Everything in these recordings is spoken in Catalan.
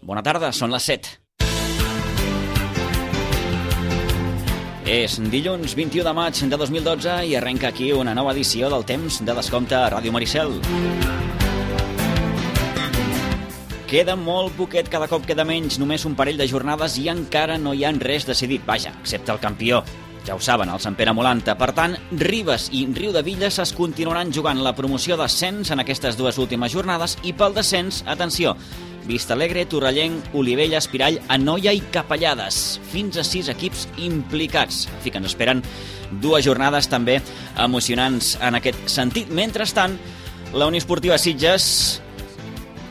Bona tarda, són les 7. És dilluns 21 de maig de 2012 i arrenca aquí una nova edició del Temps de Descompte a Ràdio Maricel. Queda molt poquet, cada cop queda menys, només un parell de jornades i encara no hi ha res decidit, vaja, excepte el campió. Ja ho saben, el Sant Pere Molanta. Per tant, Ribes i Riudevilles es continuaran jugant la promoció d'ascens en aquestes dues últimes jornades i pel descens, atenció, Vistalegre, Torrellenc, Olivella, Espirall, Anoia i Capellades. Fins a 6 equips implicats. En fi, que ens esperen dues jornades també emocionants en aquest sentit. Mentrestant, la Unió Esportiva Sitges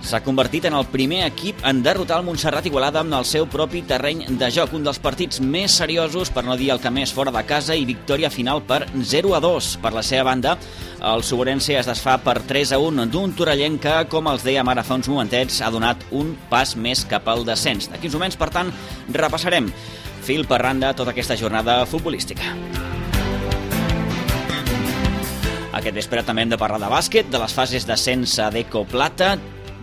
s'ha convertit en el primer equip en derrotar el Montserrat Igualada amb el seu propi terreny de joc. Un dels partits més seriosos, per no dir el que més, fora de casa, i victòria final per 0-2. Per la seva banda, el Soborense es desfà per 3-1 d'un Torrellenc que, com els dèiem ara fa uns momentets, ha donat un pas més cap al descens. D'aquí uns moments, per tant, repassarem fil per randa tota aquesta jornada futbolística. Aquest vespre també hem de parlar de bàsquet, de les fases d'ascens a Deco Plata.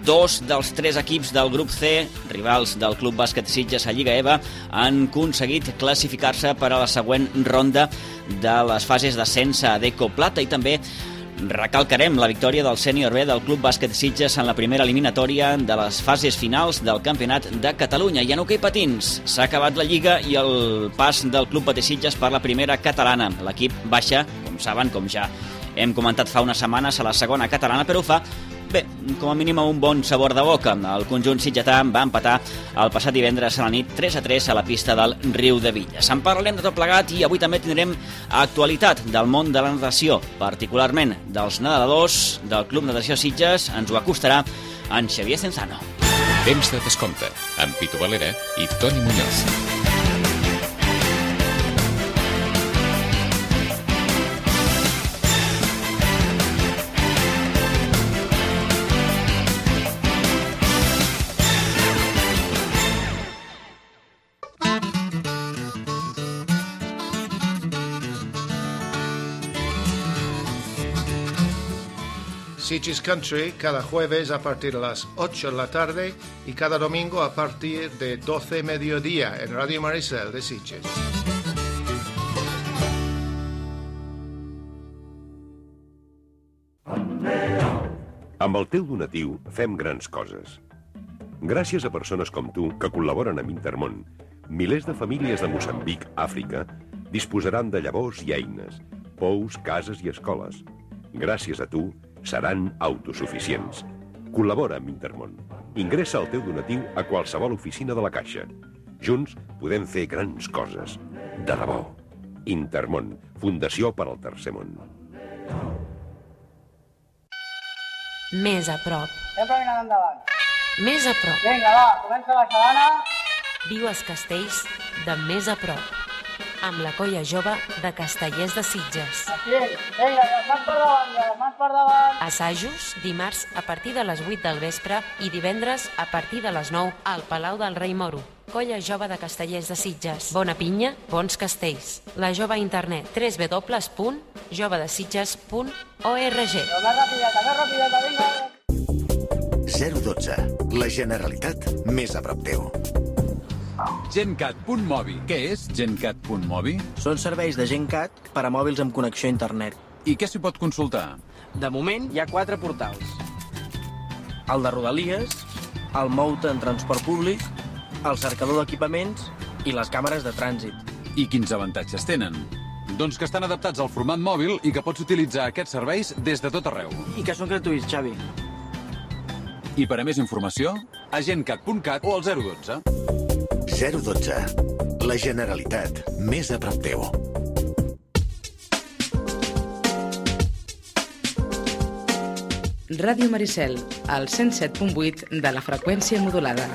Dos dels 3 equips del grup C, rivals del Club Bàsquet Sitges a Lliga EVA, han aconseguit classificar-se per a la següent ronda de les fases d'ascens a Deco Plata i també recalcarem la victòria del sènior B del Club Bàsquet Sitges en la primera eliminatòria de les fases finals del Campionat de Catalunya. I en hoquei patins s'ha acabat la Lliga i el pas del Club Bàsquet Sitges per la primera catalana. L'equip baixa, com saben, com ja hem comentat fa unes setmanes, a la segona catalana, però ho fa bé, com a mínim un bon sabor de boca. El conjunt sitgetà va empatar el passat divendres a la nit 3-3 a la pista del Riudevilles. En parlarem de tot plegat i avui també tindrem actualitat del món de la natació, particularment dels nedadors del Club Natació Sitges. Ens ho acostarà en Xavier Cenzano. Temps de Descompte, amb Pitu Valera i Toni Muñoz. Sitges Country cada jueves a partir de las 8 de la tarde y cada domingo a partir de 12 mediodía en Radio Maricel de Sitges. Amb el teu donatiu fem grans coses. Gràcies a persones com tu que col·laboren amb Intermón, milers de famílies de Moçambic, Àfrica, disposaran de llavors i eines, pous, cases i escoles. Gràcies a tu, seran autosuficients. Col·labora amb Intermón. Ingressa el teu donatiu a qualsevol oficina de la Caixa. Junts podem fer grans coses. De debò. Intermón, Fundació per al Tercer Món. Més a prop. Sempre mirant endavant. Més a prop. Vinga, va, comença la sabana. Viu els castells de més a prop. Amb la colla jove de Castellers de Sitges. Aquí, vinga, les mans per davant, les mans per davant. Assajos dimarts a partir de les 8 del vespre i divendres a partir de les 9 al Palau del Rei Moro. Colla jove de Castellers de Sitges. Bona pinya, bons castells. La jove a internet www.jovedesitges.org. Però més rapideta, vinga. 012. La Generalitat més a prop teu. GenCat.mobi. Què és GenCat.mobi? Són serveis de GenCat per a mòbils amb connexió a internet. I què s'hi pot consultar? De moment hi ha 4 portals. El de Rodalies, el Moute en transport públic, el cercador d'equipaments i les càmeres de trànsit. I quins avantatges tenen? Doncs que estan adaptats al format mòbil i que pots utilitzar aquests serveis des de tot arreu. I que són gratuïts, Xavi. I per a més informació, a gencat.cat o al 012. 012. La Generalitat més a prop teu. Ràdio Maricel, al 107.8 de la freqüència modulada.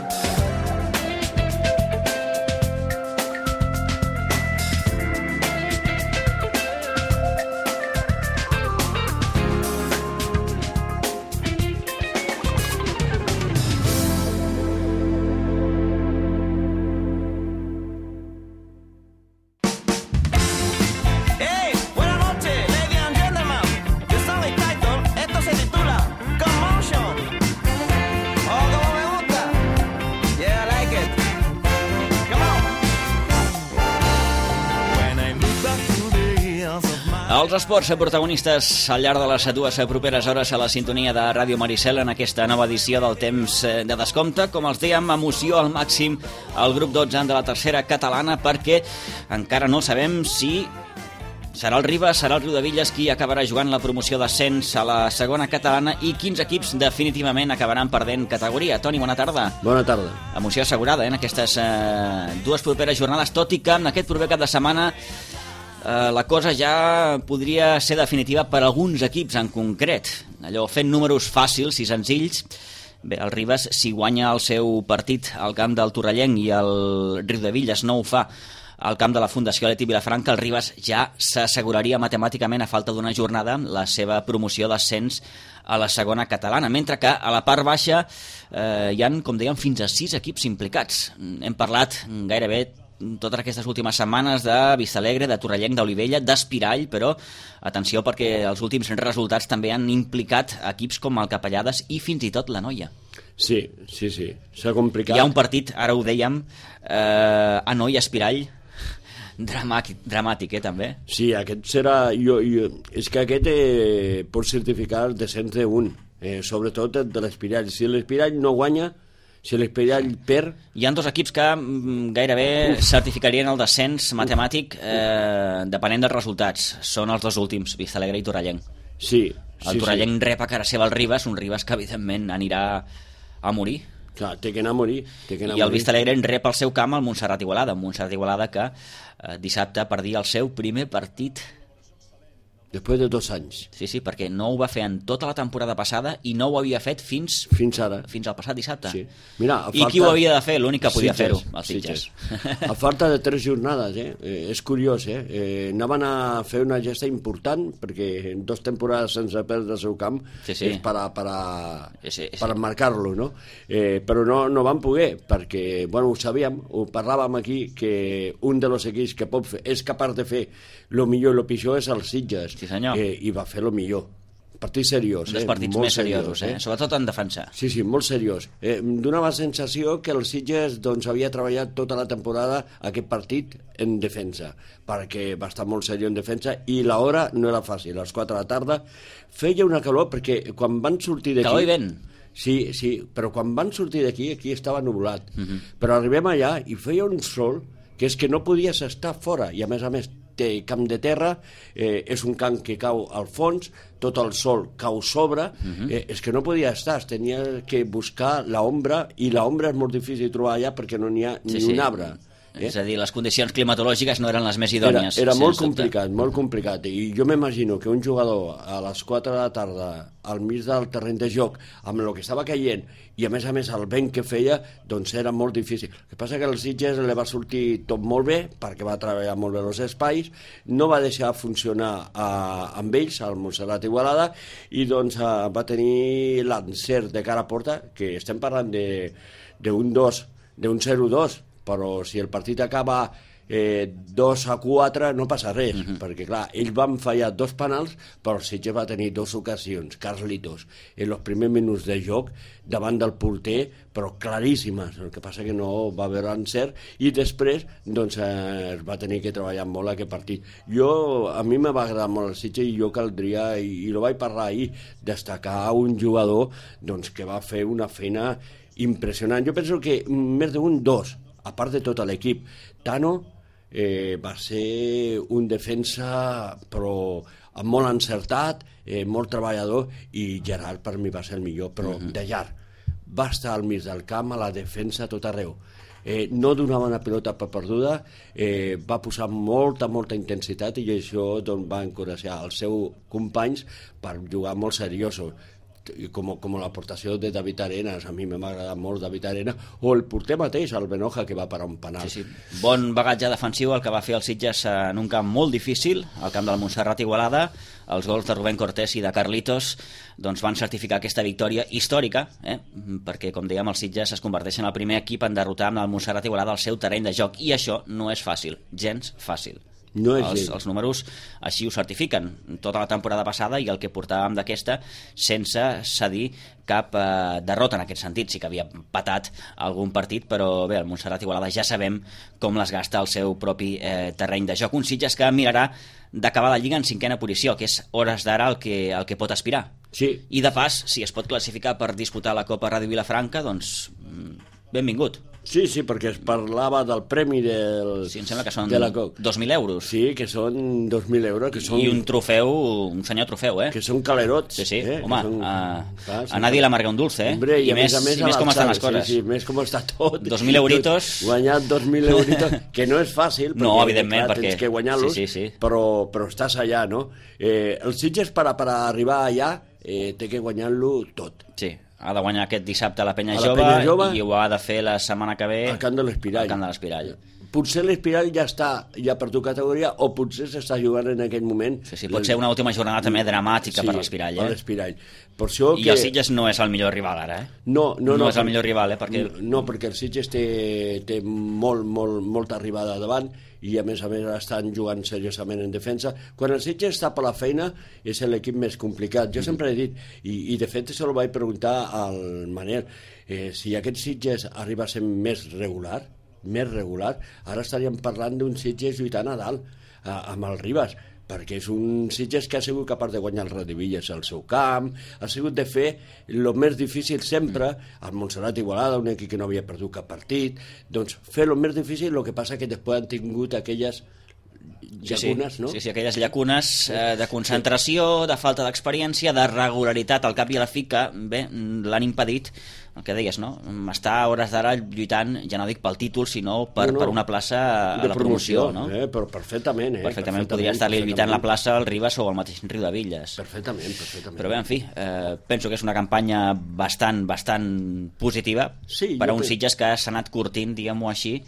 Els esports protagonistes al llarg de les 2 properes hores a la sintonia de Ràdio Maricel en aquesta nova edició del temps de descompte. Com els dèiem, emoció al màxim al grup 12 de la tercera catalana, perquè encara no sabem si serà el Ribes, serà el Riudevilles qui acabarà jugant la promoció d'ascens a la segona catalana i quins equips definitivament acabaran perdent categoria. Toni, bona tarda. Bona tarda. Emoció assegurada en aquestes 2 properes jornades, tot i que en aquest proper cap de setmana la cosa ja podria ser definitiva per alguns equips en concret. Allò, fent números fàcils i senzills, bé, el Ribes, si guanya el seu partit al camp del Torrellenc i el Riudevilles no ho fa al camp de la Fundació Leti Vilafranca, el Ribes ja s'asseguraria matemàticament, a falta d'una jornada, la seva promoció d'ascens a la segona catalana, mentre que a la part baixa hi han, com dèiem, fins a 6 equips implicats. Hem parlat gairebé totes aquestes últimes setmanes de Vistalegre, de Torrellenc, d'Olivella, d'Espirall, però atenció perquè els últims resultats també han implicat equips com el Capellades i fins i tot la Noia. Sí, s'ha complicat. Hi ha un partit, ara ho dèiem, a Noia-Espirall, dramàtic, també. Sí, aquest serà... és que aquest pot certificar el descens d'un, sobretot de l'Espirall. Si l'Espirall no guanya, si l'Espirall perd... Hi ha 2 equips que gairebé certificarien el descens matemàtic depenent dels resultats. Són els 2 últims, Vistalegre i Torrellenc. Sí. El Torrellenc rep a cara seva el Ribes, un Ribes que evidentment anirà a morir. Clar, té que anar a morir. I el Vistalegre en rep al seu camp el Montserrat Igualada, un Montserrat Igualada que dissabte perdia el seu primer partit després de 2 anys. Sí, perquè no ho va fer en tota la temporada passada i no ho havia fet fins ara. Fins al passat dissabte. Sí. Mira, I qui ho havia de fer? L'únic que podia fer-ho, els Sitges. A falta de 3 jornades, és curiós, anaven a fer una gesta important, perquè en 2 temporades sense perdre el seu camp és per marcar-lo, no? Però no van poder, perquè, ho sabíem, ho parlàvem aquí, que un dels equips que és capaç de fer el millor i el pitjor és els Sitges. Sí, senyor. I va fer el millor. Partit seriós. Un dels partits més seriosos, sobretot en defensa. Sí, molt seriós. Donava la sensació que el Sitges havia treballat tota la temporada aquest partit en defensa, perquè va estar molt seriós en defensa i l'hora no era fàcil. A les 4 de la tarda feia una calor, perquè quan van sortir d'aquí... Calor i vent. Sí, però quan van sortir d'aquí, aquí estava nuvolat. Però arribem allà i feia un sol que és que no podies estar fora, i a més té camp de terra, és un camp que cau al fons, tot el sol cau sobre, és que no podia estar, tenia que buscar l'ombra, i l'ombra és molt difícil trobar allà perquè no n'hi ha ni un arbre. És a dir, les condicions climatològiques no eren les més idònies. Era molt complicat, i jo m'imagino que un jugador a les 4 de la tarda al mig del terreny de joc, amb el que estava caient i a més el vent que feia, doncs era molt difícil. El que passa que als Sitges li va sortir tot molt bé, perquè va treballar molt bé els espais, no va deixar funcionar amb ells, el Montserrat Igualada, i doncs va tenir l'encert de cara a porta, que estem parlant d'un 0-2, però si el partit acaba 2-4 no passa res, perquè clar, ells van fallar 2 penals, però el Sitges va tenir 2 ocasions, Carlitos, en els primers minuts de joc davant del porter, però claríssimes. El que passa que no va haver encert i després doncs es va tenir que treballar molt aquest partit. A mi m'ha agradat molt el Sitges i jo caldria, i ho vaig parlar ahir, destacar un jugador doncs, que va fer una feina impressionant. Jo penso que més d'un 2, a part de tot l'equip. Tano va ser un defensa però molt encertat, molt treballador, i Gerard per mi va ser el millor, però de llarg. Va estar al mig del camp, a la defensa, tot arreu. No donava una pilota per perduda, va posar molta intensitat, i això va encoratjar els seus companys per jugar molt seriosos. Com l'aportació de David Arenas, a mi m'ha agradat molt David Arenas, o el porter mateix, el Benoja, que va parar un penal. Sí. Bon bagatge defensiu el que va fer el Sitges en un camp molt difícil, al camp del Montserrat Igualada. Els gols de Rubén Cortés i de Carlitos doncs van certificar aquesta victòria històrica, perquè, com dèiem, els Sitges es converteixen en el primer equip en derrotar amb el Montserrat Igualada al seu terreny de joc, i això no és fàcil, gens fàcil. No és llei. Els números així ho certifiquen. Tota la temporada passada i el que portàvem d'aquesta sense cedir cap derrota en aquest sentit. Sí que havia patat algun partit, però bé, el Montserrat Igualada ja sabem com les gasta al seu propi terreny de joc. Un Sitges que mirarà d'acabar la Lliga en 5ª posició, que és hores d'ara el que pot aspirar. Sí. I de pas, si es pot classificar per disputar la Copa Ràdio Vilafranca, doncs benvingut. Sí, perquè es parlava del premi del... Sí, em sembla que són de 2.000 euros. Sí, que són 2.000 euros. Que són... I un trofeu, un senyor trofeu, Que són calerots. Sí, home, són... a nadie le amarga un dulce, Hombre, I més com estan les coses. Sí, més com està tot. 2.000 euritos... Guanyar 2.000 euritos, que no és fàcil, perquè, no, evidentment, clar, tens que guanyar-los, sí. però estàs allà, no? El Sitges, per arribar allà, té que guanyar-lo tot. Sí. Ha de guanyar aquest dissabte a la Penya Jove i ho ha de fer la setmana que ve al Camp de l'Espirall. Potser l'Espirall ja està per tu categoria o potser s'està jugant en aquell moment. Sí, pot ser una última jornada també dramàtica per l'Espirall. Per l'Espirall. Per això I el Sitges no és el millor rival ara, No és el millor rival, perquè... No, perquè el Sitges té molta arribada davant i a més estan jugant seriosament en defensa. Quan el Sitges està per la feina és l'equip més complicat. Jo sempre he dit, i de fet se ho vaig preguntar al Manel, si aquest Sitges arriba a ser més regular, ara estaríem parlant d'un Sitges lluitant a dalt amb el Ribas, perquè és un Sitges que ha sigut capaç de guanyar el Radivilles al seu camp, ha sigut de fer el més difícil sempre, al Montserrat Igualada, un equip que no havia perdut cap partit, doncs fer el més difícil, el que passa que després han tingut aquelles llacunes, no? Sí, aquelles llacunes de concentració, de falta d'experiència, de regularitat al cap i a la fi que, bé, l'han impedit, el que deies, no? Està a hores d'ara lluitant, ja no dic pel títol, sinó per una plaça a la promoció, no? Però perfectament, Perfectament, podria estar-li lluitant la plaça al Ribas o al mateix Riudevilles. Perfectament. Però bé, en fi, penso que és una campanya bastant positiva per a un Sitges que s'ha anat curtint, diguem-ho així,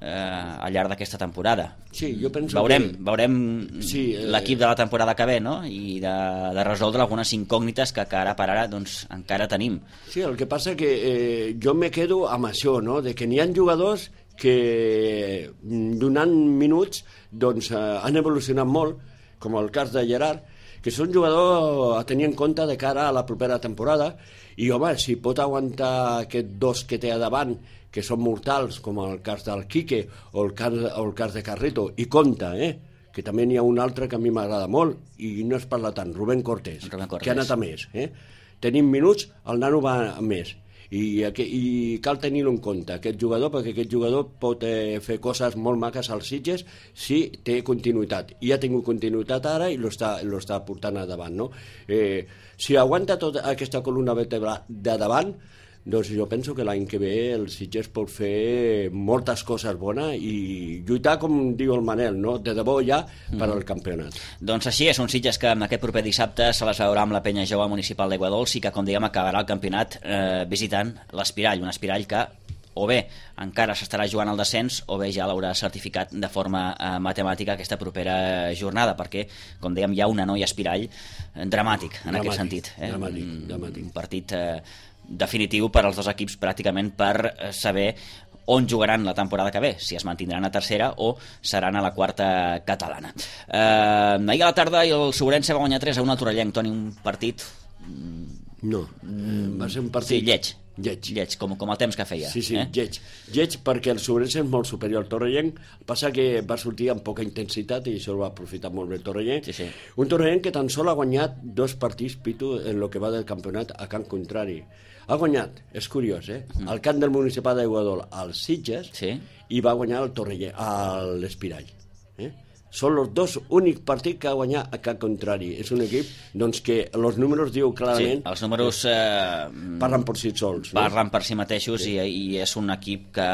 al llarg d'aquesta temporada. Sí, jo penso veurem l'equip de la temporada que ve, no? I de resoldre algunes incògnites que ara per ara doncs, encara tenim. Sí, el que passa que jo me quedo amb això, no? De que n'hi ha jugadors que donant minuts doncs, han evolucionat molt, com el cas de Gerard, que és un jugador a tenir en compte de cara a la propera temporada, i home, si pot aguantar aquests dos que té a davant, que són mortals, com el cas del Quique o el cas de Carrito, i compta, que també n'hi ha un altre que a mi m'agrada molt, i no es parla tant, Rubén Cortés, que ha anat a més. Tenim minuts, el nano va a més, i cal tenir-ho en compte, aquest jugador, perquè aquest jugador pot fer coses molt maques als Sitges si té continuïtat, i ha tingut continuïtat ara i l'està portant a davant, no? Si aguanta tota aquesta columna vertebral de davant, doncs jo penso que l'any que ve el Sitges pot fer moltes coses bones i lluitar, com diu el Manel, no? De debò ja per al campionat. Doncs així és, un Sitges que aquest proper dissabte se les veurà amb la Penya Jove Municipal d'Aiguadols i que, com dèiem, acabarà el campionat visitant l'Espirall, un Espirall que o bé encara s'estarà jugant al descens o bé ja l'haurà certificat de forma matemàtica aquesta propera jornada, perquè, com dèiem, hi ha una noia Espirall dramàtic en aquest sentit. Dramàtic. Un partit definitiu per als dos equips pràcticament per saber on jugaran la temporada que ve, si es mantindran a tercera o seran a la quarta catalana. Ahir a la tarda el Sobrense va guanyar 3-1 al Torrellenc, Toni, un partit... No, va ser un partit... Sí, lleig, com el temps que feia. Sí, lleig perquè el Sobrense és molt superior al Torrellenc, passa que va sortir amb poca intensitat i això ho va aprofitar molt bé el Torrellenc. Sí. Un Torrellenc que tan sol ha guanyat 2 partits, Pitu, en el que va del campionat a camp contrari. Ha guanyat, és curiós, al camp del Municipal d'Aiguadol al Sitges i va guanyar el Torrellenc, a l'Espirall. Són els 2 únics partits que ha guanyat a camp contrari. És un equip doncs, que els números diu clarament... Sí, els números... parlen per si sols. Parlen per si mateixos i és un equip que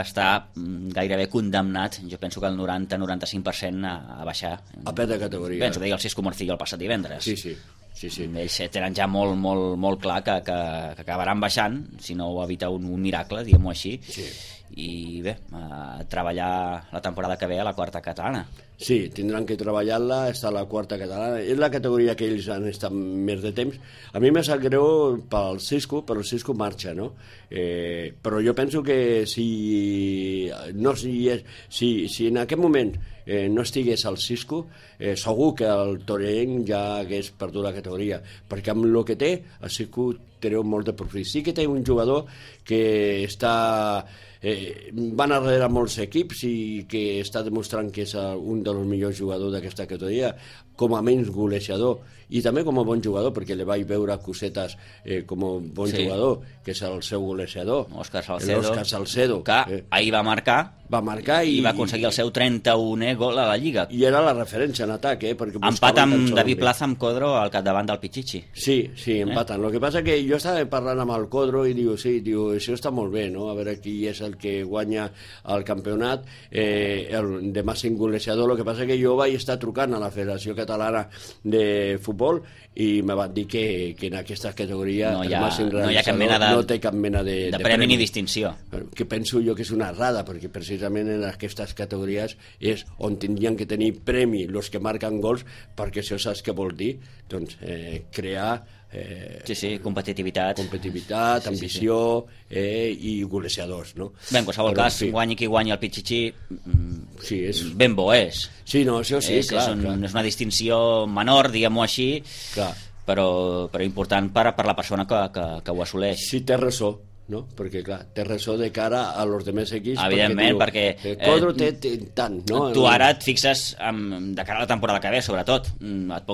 està gairebé condemnat, jo penso que el 90-95% a baixar. A perdre categoria. Penso, deia el Cisco Morcillo el passat divendres. Sí. Ells tenen ja molt clar que acabaran baixant, si no ho evita un miracle, diguem-ho així. I bé, treballar la temporada que ve a la quarta catalana. Sí, tindran que treballar-la, està a la quarta catalana. És la categoria que ells han estat més de temps. A mi me sap greu pel Cisco, però el Cisco marxa, no? Però jo penso que si en aquest moment no estigués al Cisco, segur que el Torrent ja hagués perdut la categoria, perquè amb el que té, el Cisco treu molt de profit. Sí que té un jugador que està... van darrere molts equips i que està demostrant que és un dels millors jugadors d'aquesta categoria, com a menys golejador i també com a bon jugador, perquè li vaig veure cosetes com a bon jugador, que és el seu golejador, Òscar Salcedo, que ahir va marcar i va aconseguir el seu 31è gol a la Lliga. I era la referència en atac, perquè empat amb David Plaza, amb Codro al capdavant del Pichichi. Sí, empaten. Lo que passa que jo estava parlant amb el Codro i diu, això està molt bé, no? A veure qui és el que guanya el campionat, de màxim golejador. Lo que passa que jo vaig estar trucant a la Federació Catalana de Futbol i me van dir que en aquesta categoria no hi ha no té cap mena de premi ni distinció. Que penso jo que és una errada, perquè precisament en aquestes categories és on tindrien que tenir premi els que marquen gols, perquè això saps què vol dir? Doncs crear competitivitat, ambició i golejadors, no? Bé, en qualsevol cas, guanyi qui guanyi el Pichichi, ben bo és. Sí, no, això sí, clar. És una distinció menor, diguem-ho així, però important per la persona que ho assoleix. Sí, té raó, no? Perquè, clar, té raó de cara a los demés equips. Evidentment, perquè Codro té tant, no? Tu ara et fixes, de cara a la temporada que ve, sobretot, et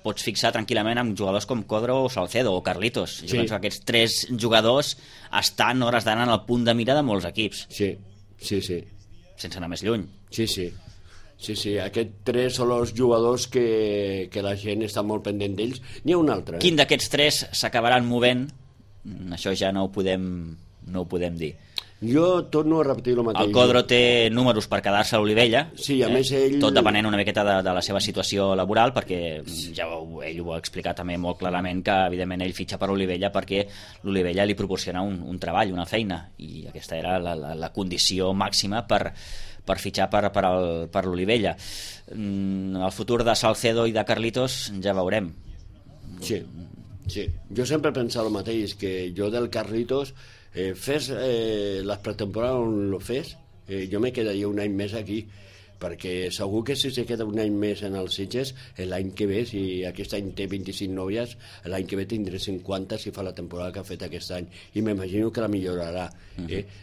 pots fixar tranquil·lament amb jugadors com Codro o Salcedo o Carlitos. Jo penso que aquests 3 jugadors estan hores d'ara en el punt de mira de molts equips. Sí. Sense anar més lluny. Sí, aquests 3 són els jugadors que la gent està molt pendent d'ells. N'hi ha un altre. Quin d'aquests 3 s'acabaran movent? Això ja no ho podem dir. Jo torno a repetir el mateix. El Codro té números per quedar-se a l'Olivella, a més ell... tot depenent una miqueta de la seva situació laboral, perquè ja ell ho ha explicat també molt clarament, que evidentment ell fitxa per Olivella perquè l'Olivella li proporciona un treball, una feina, i aquesta era la condició màxima per fitxar per l'Olivella. El futur de Salcedo i de Carlitos ja veurem. Sí, jo sempre he pensat el mateix, que jo del Carlitos fes les pretemporades on lo fes, jo me quedaria un any més aquí, perquè segur que si se queda un any més en els Sitges, l'any que ve, si aquest any té 25 nòvies, l'any que ve tindré 50 si fa la temporada que ha fet aquest any, i m'imagino que la millorarà.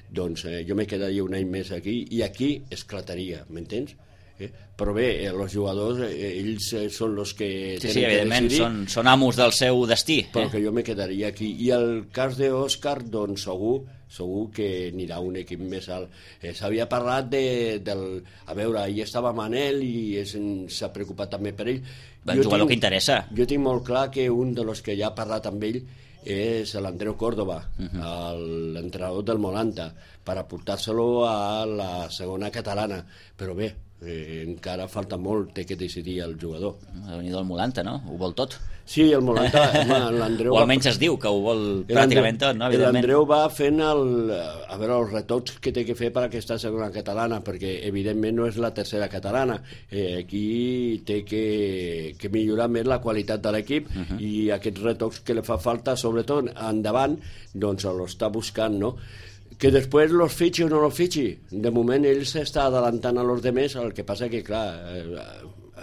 Doncs jo me quedaria un any més aquí, i aquí esclataria, m'entens? Però bé, els jugadors ells són els que sí, evidentment, són amos del seu destí, però que jo me quedaria aquí. I el cas d'Òscar, doncs segur que anirà un equip més alt. S'havia parlat a veure, ahir estava Manel i s'ha preocupat també per ell. Un jugador que interessa. Jo tinc molt clar que un dels que ja ha parlat amb ell és l'Andreu Córdoba, l'entrenador del Molanta, per aportar-se-lo a la segona catalana. Però bé, encara falta molt, té que decidir el jugador. Ha venit el Molanta, no? Ho vol tot. Sí, el Molanta, l'Andreu... O almenys es diu que ho vol pràcticament tot, no? L'Andreu va fent els retocs que té que fer per aquesta segona catalana, perquè evidentment no és la tercera catalana. Aquí té que millorar més la qualitat de l'equip i aquests retocs que li fa falta, sobretot endavant, doncs l'està buscant, no? Que després los fitxi o no los fitxi. De moment ell s'està adelantant a los demés, el que passa que, clar,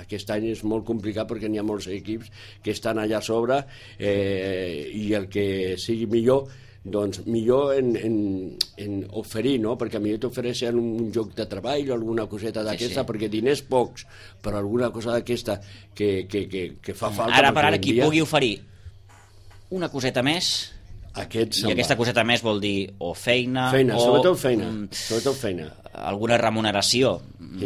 aquest any és molt complicat perquè n'hi ha molts equips que estan allà a sobre i el que sigui millor, doncs millor en oferir, no? Perquè a millor t'ofereixen un joc de treball o alguna coseta d'aquesta, perquè diners pocs, però alguna cosa d'aquesta que fa falta. Ara per ara qui pugui oferir una coseta més, i aquesta coseta més vol dir o feina o... Sobretot feina. Alguna remuneració.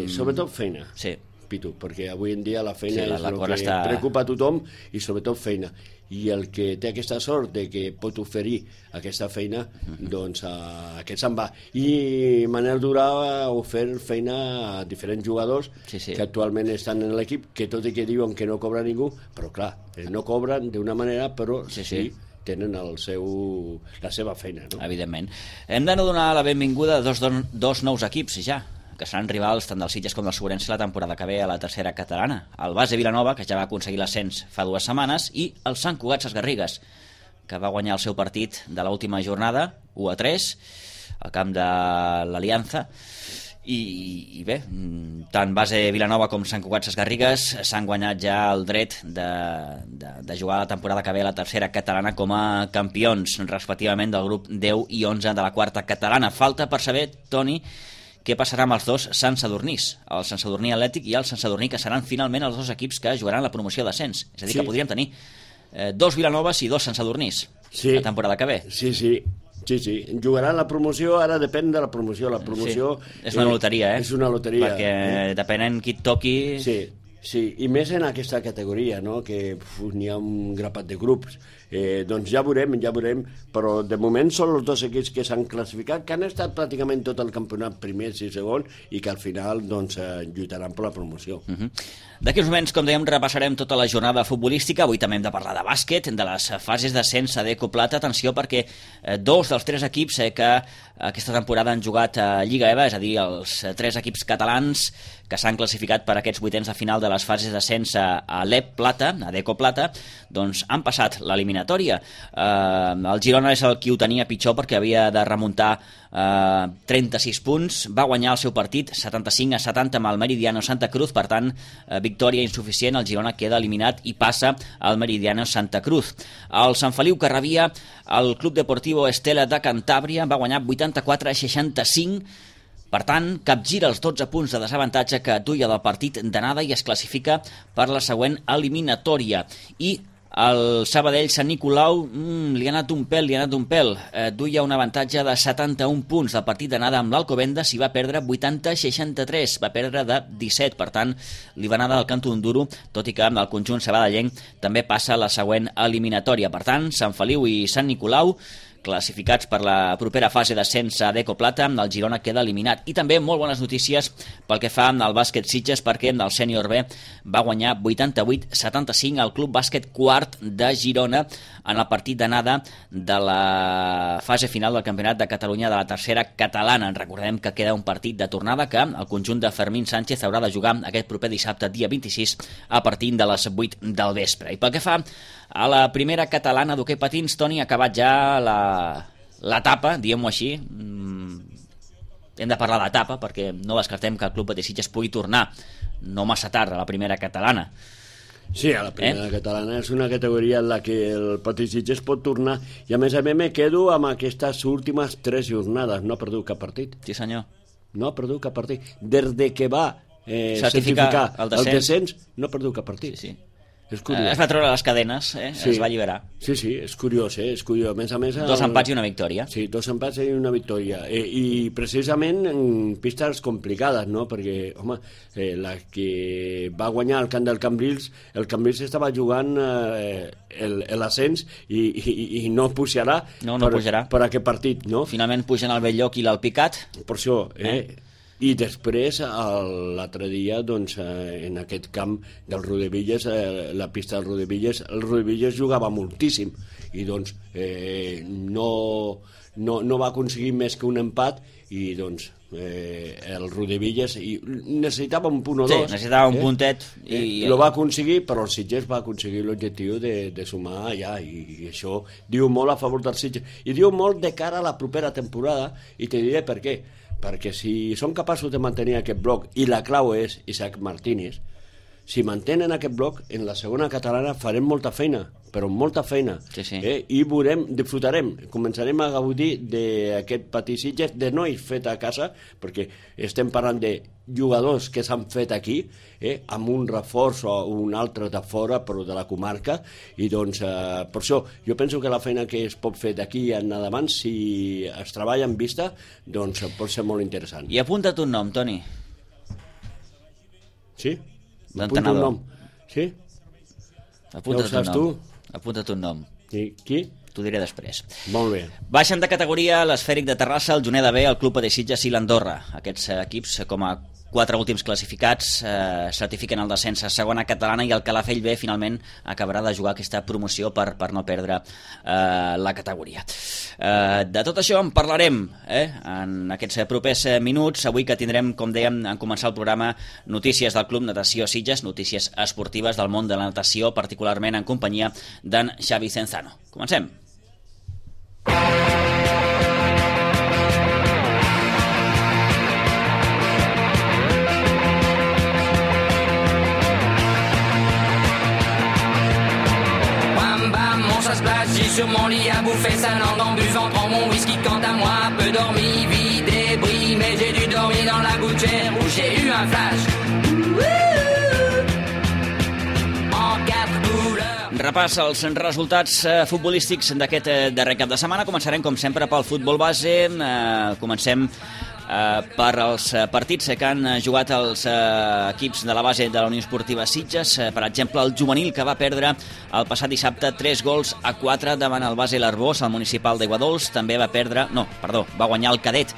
Sobretot feina. Sí. Pitu, perquè avui en dia la feina és el que preocupa a tothom i sobretot feina. I el que té aquesta sort de que pot oferir aquesta feina, doncs aquest se'n va. I Manel Durà ha ofert feina a diferents jugadors que actualment estan en l'equip, que tot i que diuen que no cobra ningú, però clar, no cobren d'una manera, però sí tenen la seva feina, no? Evidentment. Hem de donar la benvinguda a dos nous equips ja, que seran rivals tant dels Sitges com dels Sobrense la temporada que ve a la tercera catalana. El Base Vilanova, que ja va aconseguir l'ascens fa 2 setmanes, i el Sant Cugat Ses Garrigues, que va guanyar el seu partit de l'última jornada, 1-3, al camp de l'Aliança, I bé, tant base Vilanova com Sant Cugat Sesgarrigues s'han guanyat ja el dret de jugar la temporada que ve a la tercera catalana com a campions, respectivament del grup 10 i 11 de la quarta catalana. Falta per saber, Toni, què passarà amb els dos Sant Sadurnís, el Sant Sadurní Atlètic i el Sant Sadurní, que seran finalment els dos equips que jugaran la promoció d'ascens. És a dir, que podríem tenir dos Vilanoves i dos Sant Sadurnís la temporada que ve. Sí, jugaran la promoció, ara depèn de la promoció. La promoció és una loteria, És una loteria. Perquè depenent qui et toqui... Sí, i més en aquesta categoria, no? Que n'hi ha un grapat de grups. Doncs ja veurem, però de moment són els dos equips que s'han classificat, que han estat pràcticament tot el campionat primers i segons, i que al final doncs, lluitaran per la promoció. D'aquí uns moments, com dèiem, repassarem tota la jornada futbolística. Avui també hem de parlar de bàsquet, de les fases d'ascens a Deco Plata. Atenció, perquè dos dels tres equips que aquesta temporada han jugat a Lliga EVA, és a dir, els tres equips catalans que s'han classificat per aquests vuitens de final de les fases d'ascens a l'EP Plata, a Deco Plata, doncs han passat l'eliminatòria. El Girona és el qui ho tenia pitjor perquè havia de remuntar 36 punts, va guanyar el seu partit 75-70 amb el Meridiano Santa Cruz, per tant, victòria insuficient, el Girona queda eliminat i passa al Meridiano Santa Cruz. El Sant Feliu que rebia el Club Deportivo Estela de Cantàbria va guanyar 84-65, per tant, capgira els 12 punts de desavantatge que duia del partit d'anada i es classifica per la següent eliminatòria. I el Sabadell Sant Nicolau li ha anat un pèl. Duia un avantatge de 71 punts del partit d'anada amb l'Alcobendas i va perdre 80-63, va perdre de 17, per tant li va anar del canto d'un duro, tot i que el conjunt sabadellenc també passa a la següent eliminatòria. Per tant, Sant Feliu i Sant Nicolau classificats per la propera fase d'ascens a Deco Plata, el Girona queda eliminat. I també molt bones notícies pel que fa al bàsquet Sitges, perquè el sènior B va guanyar 88-75 al Club Bàsquet Quart de Girona en el partit d'anada de la fase final del Campionat de Catalunya de la tercera catalana. Recordem que queda un partit de tornada que el conjunt de Fermín Sánchez haurà de jugar aquest proper dissabte, dia 26, a partir de les 8 del vespre. I pel que fa a la primera catalana d'hoquei patins, Toni, ha acabat ja l'etapa, diguem-ho així. Hem de parlar d'etapa perquè no descartem que el Club Patí Sitges pugui tornar no massa tard a la primera catalana. Sí, a la primera catalana és una categoria en la que el Patí Sitges pot tornar, i a més me quedo amb aquestes últimes 3 jornades. No ha perdut cap partit. Sí, senyor. No ha perdut cap partit. Des de que va certificar el descens, no ha perdut cap partit. Sí. És curiós. Es va treure les cadenes, es va alliberar. Sí, és curiós, és curiós. A més, 2 empats i una victòria. Sí, 2 empats i una victòria. I precisament en pistes complicades, no? Perquè, home, la que va guanyar el camp del Cambrils, el Cambrils estava jugant l'ascens i no pujarà per aquest partit, no? Finalment pugen el Belllloc i l'Alpicat. Per això, I després, l'altre dia, doncs, en aquest camp del Rodevilles, la pista del Rodevilles, el Rodevilles jugava moltíssim i doncs no va aconseguir més que un empat i doncs el Rodevilles necessitava un punt o dos. Sí, necessitava un puntet. I lo va aconseguir, però el Sitges va aconseguir l'objectiu de sumar allà, i això diu molt a favor del Sitges. I diu molt de cara a la propera temporada, i te diré per què. Perquè si són capaços de mantenir aquest bloc, i la clau és Isaac Martínez, si mantenen aquest bloc, en la segona catalana farem molta feina, però molta feina. Sí. I veurem, disfrutarem, començarem a gaudir d'aquest Patí Sitges, de nois fet a casa, perquè estem parlant de jugadors que s'han fet aquí, amb un reforç o un altre de fora, però de la comarca, i doncs per això jo penso que la feina que es pot fer d'aquí en endavant, si es treballa en vista, doncs pot ser molt interessant. I apunta't un nom, Toni. Sí? L'entenedor. Un nom. Sí? Apunta't un nom. Qui? T'ho diré després. Molt bé. Baixen de categoria l'Esfèric de Terrassa, el Juneda B, el Club Patí Sitges i l'Andorra. Aquests equips, com a 4 últims classificats, certifiquen el descens a segona catalana, i el Calafell B finalment acabarà de jugar aquesta promoció per no perdre la categoria. De tot això en parlarem en aquests propers minuts. Avui que tindrem, com dèiem, en començar el programa, notícies del Club Natació Sitges, notícies esportives del món de la natació, particularment en companyia d'en Xavi Cenzano. Comencem. sur mon lit à bouffer sa langue en buvant trop mon whisky. Quant à moi, peu dormi, vie débris, mais j'ai dû dormir dans la gouttière où j'ai eu un flash. Repàs els resultats futbolístics d'aquest darrer cap de setmana. Començarem, com sempre, pel futbol base. Comencem per els partits que han jugat els equips de la base de la Unió Esportiva Sitges. Per exemple, el juvenil, que va perdre el passat dissabte 3-4 davant el base l'Arbós, al municipal d'Aiguadols. També va guanyar el cadet,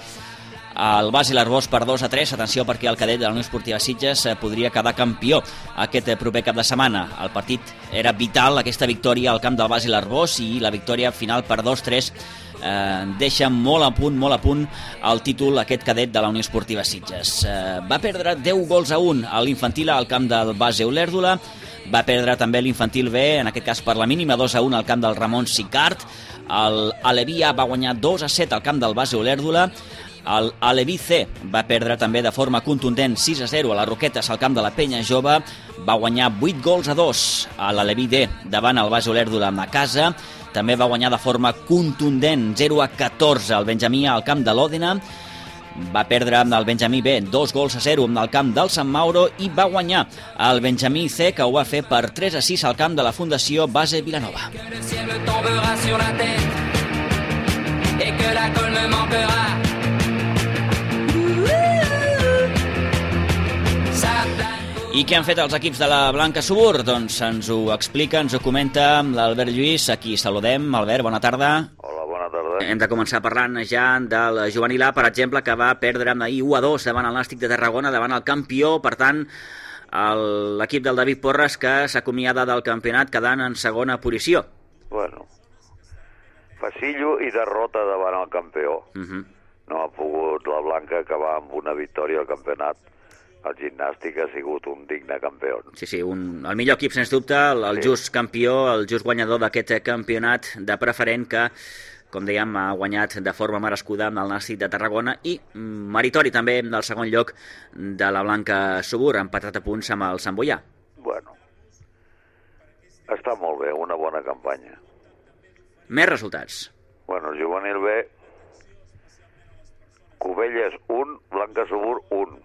el base l'Arbós, per 2-3. Atenció, perquè el cadet de la Unió Esportiva Sitges podria quedar campió aquest proper cap de setmana. El partit era vital, aquesta victòria al camp del base l'Arbós, i la victòria final per 2-3 deixa molt a punt el títol aquest cadet de la Unió Esportiva Sitges. Va perdre 10-1 a l'infantil al camp del base Olèrdola. Va perdre també l'infantil B, en aquest cas per la mínima, 2-1 al camp del Ramon Sicart. El Aleví A va guanyar 2-7 al camp del base Olèrdola. El Aleví C va perdre també de forma contundent 6-0 a les Roquetes al camp de la Penya Jove. Va guanyar 8-2 a l'Aleví D davant el base Olèrdola a casa. També va guanyar de forma contundent 0-14 al Benjamí al camp de l'Òdena. Va perdre el Benjamí B 2-0 al camp del Sant Mauro, i va guanyar el Benjamí C, que ho va fer per 3-6 al camp de la Fundació Base Vilanova. I què han fet els equips de la Blanca Subur? Doncs ens ho explica, ens ho comenta l'Albert Lluís. Aquí saludem. Albert, bona tarda. Hola, bona tarda. Hem de començar parlant ja del juvenil A, per exemple, que va perdre ahir 1-2 davant el Nàstic de Tarragona, davant el campió. Per tant, l'equip del David Porres, que s'acomiada del campionat quedant en segona posició. Bueno, facillo i derrota davant el campió. No ha pogut la Blanca acabar amb una victòria al campionat. El Gimnàstic ha sigut un digne campió. Sí, el millor equip, sens dubte, el just campió, el just guanyador d'aquest campionat de preferent, que, com dèiem, ha guanyat de forma merescuda amb el Nàstic de Tarragona, i meritori també del segon lloc de la Blanca Subur, empatat a punts amb el Sant Boià. Bueno, està molt bé, una bona campanya. Més resultats. Bueno, el juvenil B, Cubelles 1, Blanca Subur 1.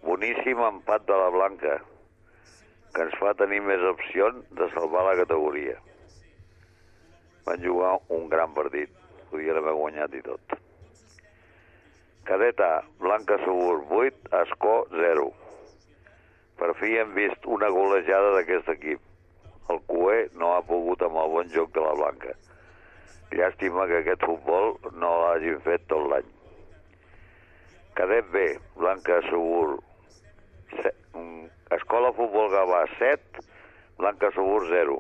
Boníssim empat de la Blanca, que ens fa tenir més opcions de salvar la categoria. Van jugar un gran partit, podien haver guanyat i tot. Cadet A, Blanca Subur 8, Ascó 0. Per fi hem vist una golejada d'aquest equip. El Cué no ha pogut amb el bon joc de la Blanca. Llàstima que aquest futbol no l'hagin fet tot l'any. Cadet B, Blanca Subur Escola Futbol Gavà 7, Blanca Subur 0.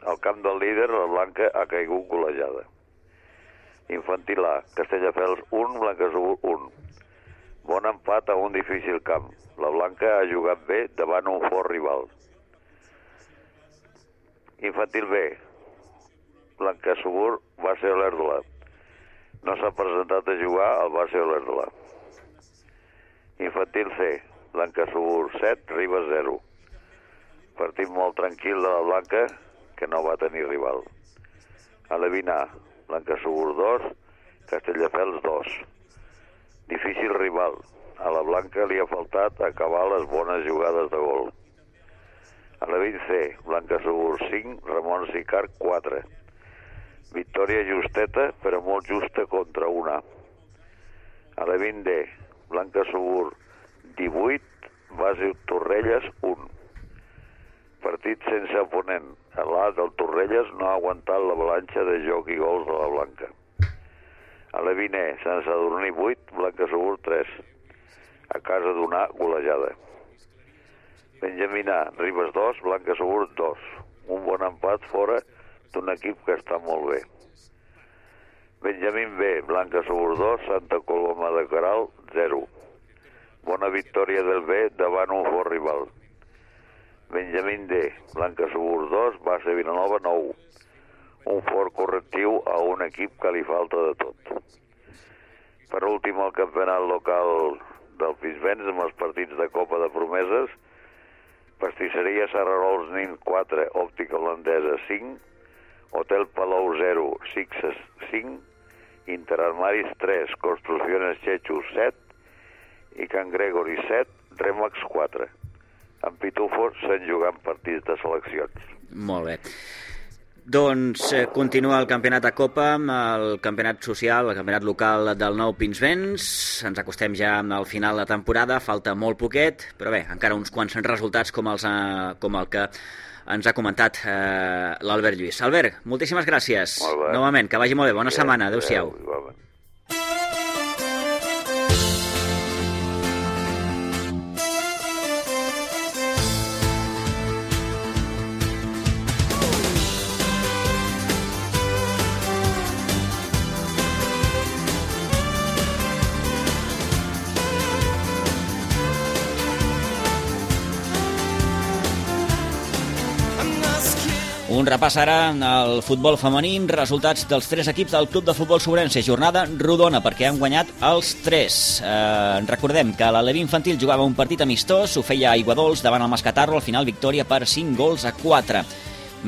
Al camp del líder, la Blanca ha caigut golejada. Infantil A, Castelldefels 1, Blanca Subur 1. Bon empat a un difícil camp. La Blanca ha jugat bé davant un fort rival. Infantil B, Blanca Subur, Base Olèrdola. No s'ha presentat a jugar al Base Olèrdola. Infantil C, Blanca Subur 7, Ribes 0. Partit molt tranquil de la Blanca, que no va tenir rival. Alevín A, Blanca Subur 2, Castelldefels 2. Difícil rival. A la Blanca li ha faltat acabar les bones jugades de gol. Alevín C, Blanca Subur 5, Ramon Sicart 4. Victòria justeta, però molt justa contra una. Alevín D, Blanca Subur 18, Base Torrelles 1. Partit sense oponent. L'A del Torrelles no ha aguantat l'avalanxa de joc i gols de la Blanca. Alevín E, Sant Sadurní 8, Blanca Subur 3. A casa d'una golejada. Benjamín A, Ribes 2, Blanca Subur 2. Un bon empat fora d'un equip que està molt bé. Benjamín B, Blanca Subur 2, Santa Coloma de Queralt 0. Bona victòria del B davant un fort rival. Benjamín D, Blanca Subur 2, Base Vilanova 9. Un fort correctiu a un equip que li falta de tot. Per últim, el campionat local del Pinsbens amb els partits de Copa de Promeses. Pastisseria Serrarols Nin 4, Òptica Holandesa 5. Hotel Palau 0, Sixes 5, Interarmaris 3, Construcciones Chechu 7 i Can Gregory 7, Remax 4. En Pitufo s'han jugat partits de seleccions. Molt bé. Doncs continua el campionat de Copa, el campionat social, el campionat local del Nou Pinsbens. Ens acostem ja al final de temporada, falta molt poquet, però bé, encara uns quants resultats com el que ens ha comentat l'Albert Lluís. Albert, moltíssimes gràcies. Novament, que vagi molt bé. Bona setmana. Adéu-siau. Un repàs ara al futbol femení, resultats dels 3 equips del Club de Futbol Sobrense, jornada rodona perquè han guanyat els 3. Recordem que l'Alevi Infantil jugava un partit amistós, ho feia a Aiguadols davant el Mascatarro, al final victòria per 5-4.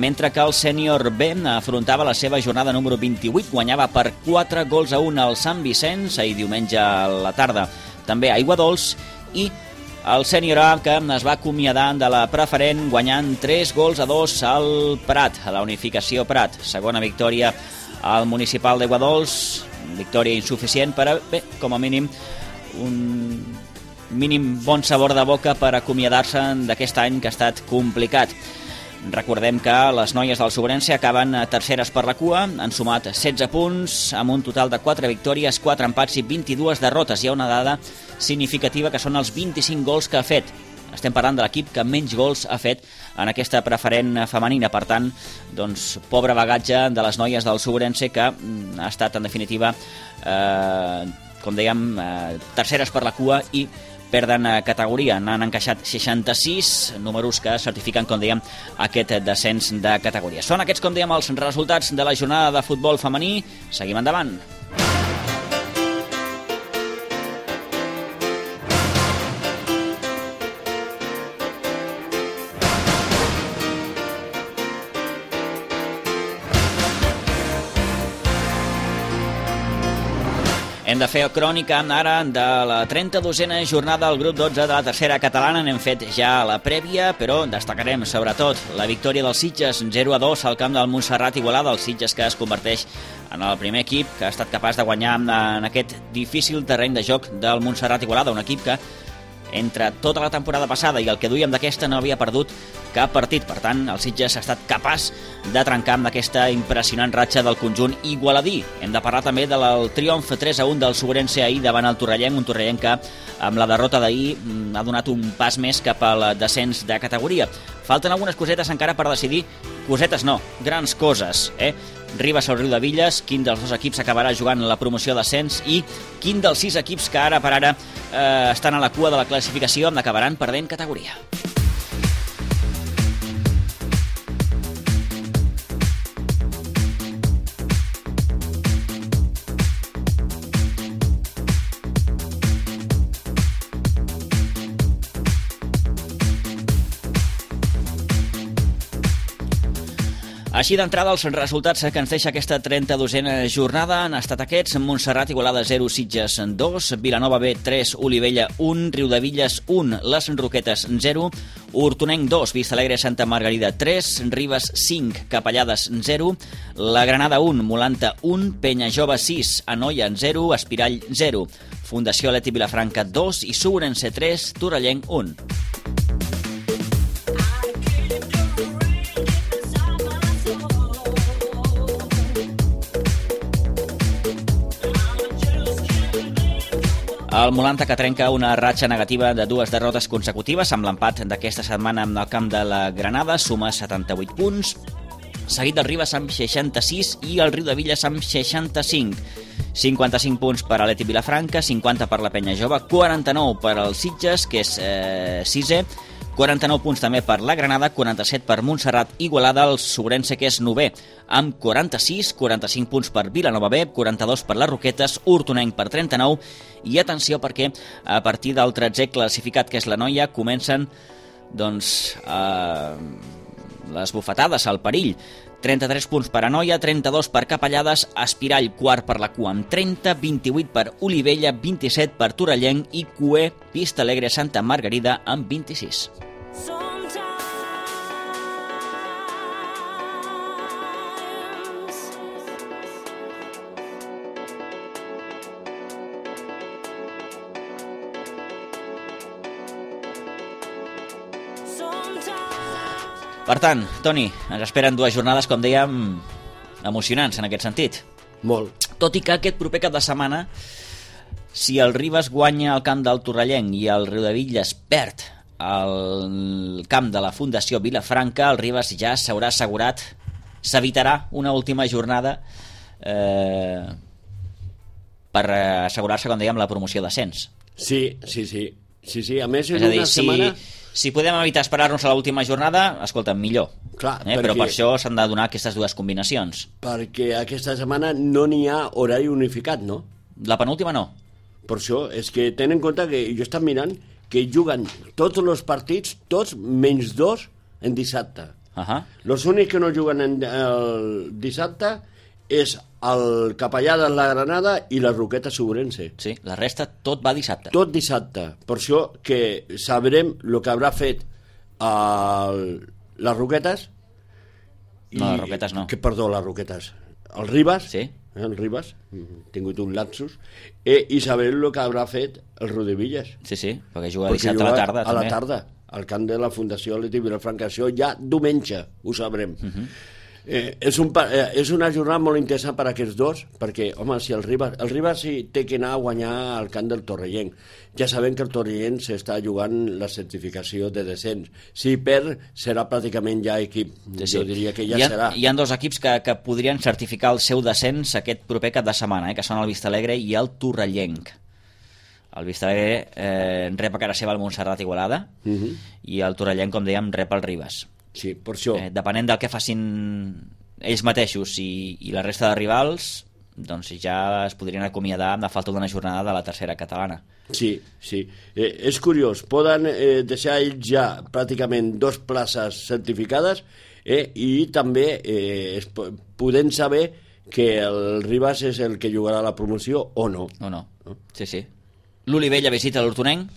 Mentre que el sènior B afrontava la seva jornada número 28, guanyava per 4-1 al Sant Vicenç, ahir diumenge a la tarda, també a Aiguadols, i el sènior A, que es va acomiadar de la preferent guanyant 3-2 al Prat, a la unificació Prat. Segona victòria al municipal d'Aiguadols, victòria insuficient, però bé, com a mínim un mínim bon sabor de boca per acomiadar-se d'aquest any que ha estat complicat. Recordem que les noies del Sobrense acaben terceres per la cua, han sumat 16 punts, amb un total de 4 victòries, 4 empats i 22 derrotes. Hi ha una dada significativa que són els 25 gols que ha fet. Estem parlant de l'equip que menys gols ha fet en aquesta preferent femenina. Per tant, doncs, pobre bagatge de les noies del Sobrense, que ha estat, en definitiva, com dèiem, terceres per la cua i perden categoria. N'han encaixat 66, números que certifiquen, com dèiem, aquest descens de categoria. Són aquests, com dèiem, els resultats de la jornada de futbol femení. Seguim endavant. Hem de fer crònica ara de la 32a jornada del grup 12 de la tercera catalana. N'hem fet ja la prèvia, però destacarem sobretot la victòria dels Sitges 0-2 al camp del Montserrat Igualada. El Sitges, que es converteix en el primer equip que ha estat capaç de guanyar en aquest difícil terreny de joc del Montserrat Igualada, un equip que entre tota la temporada passada i el que duíem d'aquesta no havia perdut cap partit. Per tant, el Sitges ha estat capaç de trencar amb aquesta impressionant ratxa del conjunt igualadí. Hem de parlar també del triomf 3-1 del Sobrense ahir davant el Torrellenc, un Torrellenc que amb la derrota d'ahir ha donat un pas més cap al descens de categoria. Falten algunes cosetes encara per decidir, cosetes no, grans coses, Ribes al Riudevilles, quin dels dos equips acabarà jugant la promoció d'ascens i quin dels 6 equips que ara per ara estan a la cua de la classificació acabaran perdent categoria. Així d'entrada, els resultats que ens deixa aquesta 32a jornada han estat aquests: Montserrat Igualada 0, Sitges 2, Vilanova B 3, Olivella 1, Riudevilles 1, Les Roquetes 0, Hortonenc 2, Vistalegre Santa Margarida 3, Ribes 5, Capellades 0, La Granada 1, Molanta 1, Penyajove 6, Anoia 0, Espirall 0, Fundació Leti Vilafranca 2 i Sobrense 3, Torrellenc 1. El Molanta, que trenca una ratxa negativa de 2 derrotes consecutives amb l'empat d'aquesta setmana en el camp de la Granada, suma 78 punts, seguit del Ribes amb 66 i el Riudevilles amb 65. 55 punts per a l'Eti Vilafranca, 50 per la Penyajove, 49 per al Sitges, que és 6è, 49 punts també per la Granada, 47 per Montserrat Igualada, el Sobrense, que és 9è, amb 46, 45 punts per Vilanova B, 42 per les Roquetes, Hortonenc per 39, i atenció perquè a partir del 13è classificat, que és la Noia, comencen doncs les bufetades, el perill. 33 punts per Anoia, 32 per Capellades, Espirall quart per la cua amb 30, 28 per Olivella, 27 per Torellenc i Cué, Vista Alegre, Santa Margarida amb 26. Per tant, Toni, ens esperen 2 jornades, com dèiem, emocionants en aquest sentit. Molt. Tot i que aquest proper cap de setmana, si el Ribes guanya al camp del Torrellenc i el Riudebitlles perd al camp de la Fundació Vilafranca, el Ribes ja s'haurà assegurat, s'evitarà una última jornada per assegurar-se, com dèiem, la promoció d'ascens. Sí. A més, és a dir, si podem evitar esperar-nos a l'última jornada, escolta, millor. Clar, però per això s'han de donar aquestes 2 combinacions. Perquè aquesta setmana no n'hi ha horari unificat, no? La penúltima no. Per això, és que tenen en compte que jo estic mirant que juguen tots els partits, tots menys 2 en dissabte. Els únics que no juguen el dissabte és el Capellades, la Granada i la Roqueta Segurense. Sí, la resta tot va dissabte. Tot dissabte. Per això que sabrem el que haurà fet les Roquetes. No, les Roquetes no. Perdó, les Roquetes. El Ribes. Sí. El Ribes. He tingut un lapsus. I sabrem el que haurà fet el Riudebitlles. Sí, perquè juga dissabte a la tarda. A la tarda, al camp de la Fundació Atlètic Vilafranca. Això ja diumenge ho sabrem. És una jornada molt interessant per a aquests dos, perquè, home, si el Ribas sí té que anar a guanyar al camp del Torrellenc. Ja sabem que el Torrellenc s'està jugant la certificació de descens. Si perd, serà pràcticament ja equip. Jo diria que ja serà. Hi ha 2 equips que podrien certificar el seu descens aquest proper cap de setmana, que són el Vista Alegre i el Torrellenc. El Vista Alegre rep a cara seva el Montserrat Igualada i el Torrellenc, com dèiem, rep el Ribas. Sí, per això. Depenent del que facin ells mateixos i la resta de rivals, doncs ja es podrien acomiadar amb la falta d'una jornada de la tercera catalana. Sí. És curiós, poden deixar ells ja pràcticament 2 places certificades i també podem saber que el Ribas és el que jugarà la promoció o no. Sí. L'Olivella visita l'Hortonenc?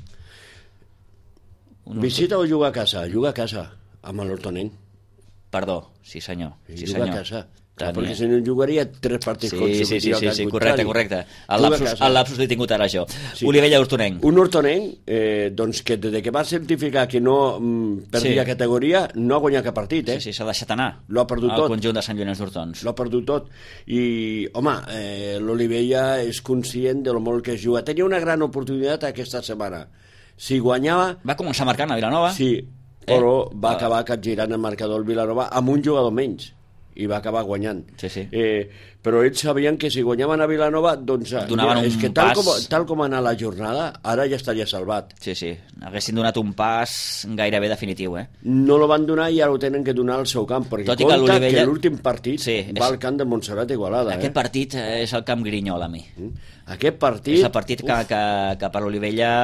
Visita o juga a casa? Juga a casa. Amb l'Hortonenc. Perdó, sí senyor. Juga a casa. Perquè si no jugaria 3 partits consecutius. Sí, correcte. El lapsus l'he tingut ara jo. Olivella-Hortonenc. Un Hortonenc doncs que des que va certificar que no perdia categoria no ha guanyat cap partit. Sí, s'ha deixat anar. L'ha perdut tot. El conjunt de Sant Llorenç d'Hortons. L'ha perdut tot. I, home, l'Olivella és conscient de lo molt que es juga. Tenia una gran oportunitat aquesta setmana. Si guanyava... Va començar marcant a Vilanova. Sí, però va acabar capgirant el marcador el Vilanova amb un jugador menys i va acabar guanyant. Però ells sabien que si guanyaven a Vilanova doncs és que tal com ha anat la jornada ara ja estaria salvat. Sí, haguessin donat un pas gairebé definitiu. No lo van donar i ara ho tenen que donar al seu camp, perquè compta que l'últim partit va al camp de Montserrat Igualada. Aquest partit és el camp Grinyol, a mi. Aquest partit... És el partit que per l'Olivella...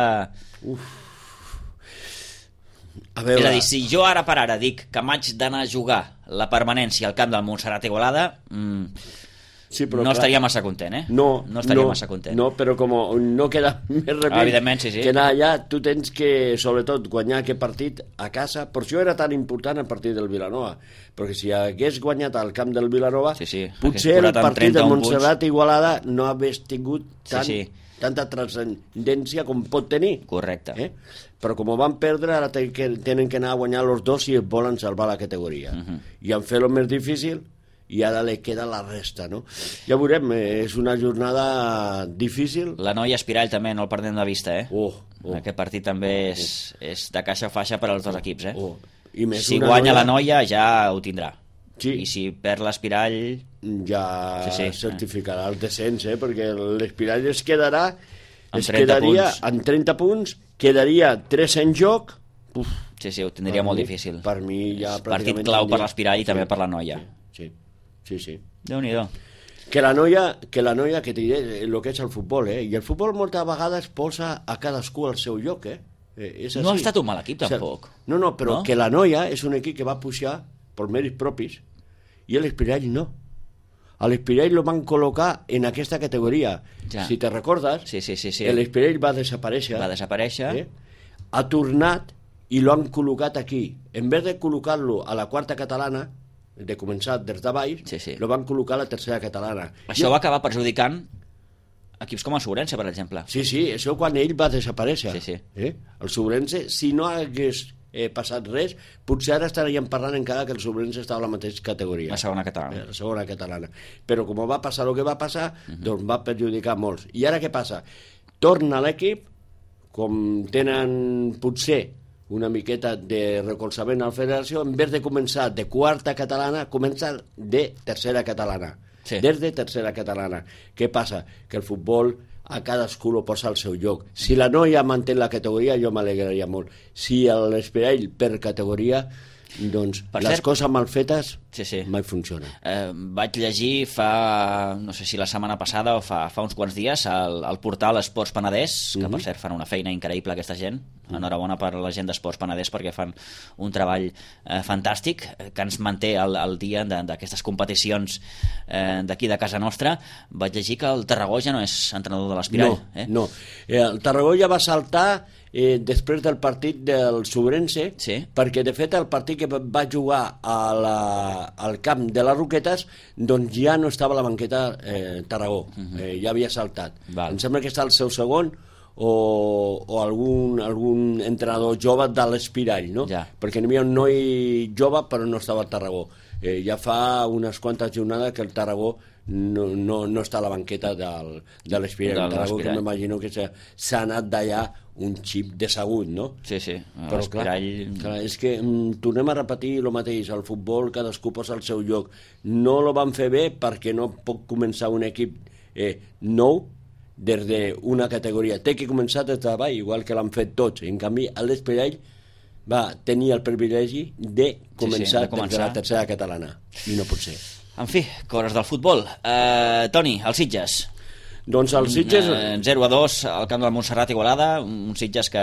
És a dir, si jo ara per ara dic que m'haig d'anar a jugar la permanència al camp del Montserrat Igualada, no estaria massa content, No estaria massa content. No, però com no queda més remei que anar allà, tu tens que, sobretot, guanyar aquest partit a casa. Per això era tan important el partit del Vilanova, perquè si hagués guanyat al camp del Vilanova, potser el partit del Montserrat Igualada no hagués tingut tanta transcendència com pot tenir. Correcte. Però com ho van perdre, ara tenen que anar a guanyar els 2 si volen salvar la categoria. I han fet el més difícil i ara li queda la resta, no? Ja veurem, és una jornada difícil. La Noia Espirall també no el perdem de vista, Aquest partit també és de caixa o faixa per als 2 equips, Si guanya la Noia ja ho tindrà. I si perd l'Espirall... Ja certificarà el descens, perquè l'Espirall es quedaria en 30 punts, quedaria 3 en joc. Sí, ho tindria molt difícil. Per mi ja partit clau per l'Espirall i també per la Noia. Sí. Déu-n'hi-do. Que la noia, que t'hi diré el que és el futbol, i el futbol moltes vegades posa a cadascú al seu lloc, No ha estat un mal equip, tampoc. No, però que la Noia és un equip que va pujar per mèrits propis i l'Espirall no. A l'Espirall lo van col·locar en aquesta categoria. Ja. Si te recordes, sí. l'Espirall va desaparèixer. Ha tornat i lo han col·locat aquí. En vez de col·locar-lo a la quarta catalana, de començar des de baix, lo van col·locar a la tercera catalana. Això va acabar perjudicant equips com el Sobrense, per exemple. Sí, això quan ell va desaparèixer. El Sobrense, si no hagués passat res, potser ara estaríem parlant encara que el Sobrense estava a la mateixa categoria. La segona catalana. La segona catalana. Però com va passar el que va passar, doncs va perjudicar molts. I ara què passa? Torna l'equip, com tenen potser una miqueta de recolzament a la federació, en vez de començar de quarta catalana, comença de tercera catalana. Des de tercera catalana. Què passa? Que el futbol a cadascú lo posa al seu lloc. Si la noia manté la categoria, jo m'alegraria molt. Si l'Espirall per categoria, doncs les coses mal fetes mai funcionen. Vaig llegir no sé si la setmana passada o fa uns quants dies al portal Esports Penedès, que per cert fan una feina increïble aquesta gent. Enhorabona per la gent d'Esports Penedès perquè fan un treball fantàstic que ens manté al dia d'aquestes competicions d'aquí de casa nostra. Vaig llegir que el Tarragó ja no és entrenador de l'Espirall. No. El Tarragó ja va saltar després del partit del Sobrense, perquè de fet el partit que va jugar al camp de les Roquetes doncs ja no estava a la banqueta Tarragó, ja havia saltat. Em sembla que està el seu segon o algun entrenador jove de l'Espirall, no? Perquè n'hi havia un noi jove però no estava al Tarragó. Ja fa unes quantes jornades que el Tarragó no està a la banqueta de l'Espirall. El Tarragó, que m'imagino que s'ha anat d'allà un xip de segut, no? Sí. Però clar, és que tornem a repetir el mateix. El futbol cadascú posa al seu lloc. No lo van fer bé perquè no pot començar un equip nou des d'una categoria. Té que començar des de baix, igual que l'han fet tots. En canvi, l'Espirall va tenir el privilegi de començar des de la tercera catalana. I no pot ser. En fi, coses del futbol. Toni, els Sitges. Doncs els Sitges... 0-2 al camp del Montserrat Igualada, un Sitges que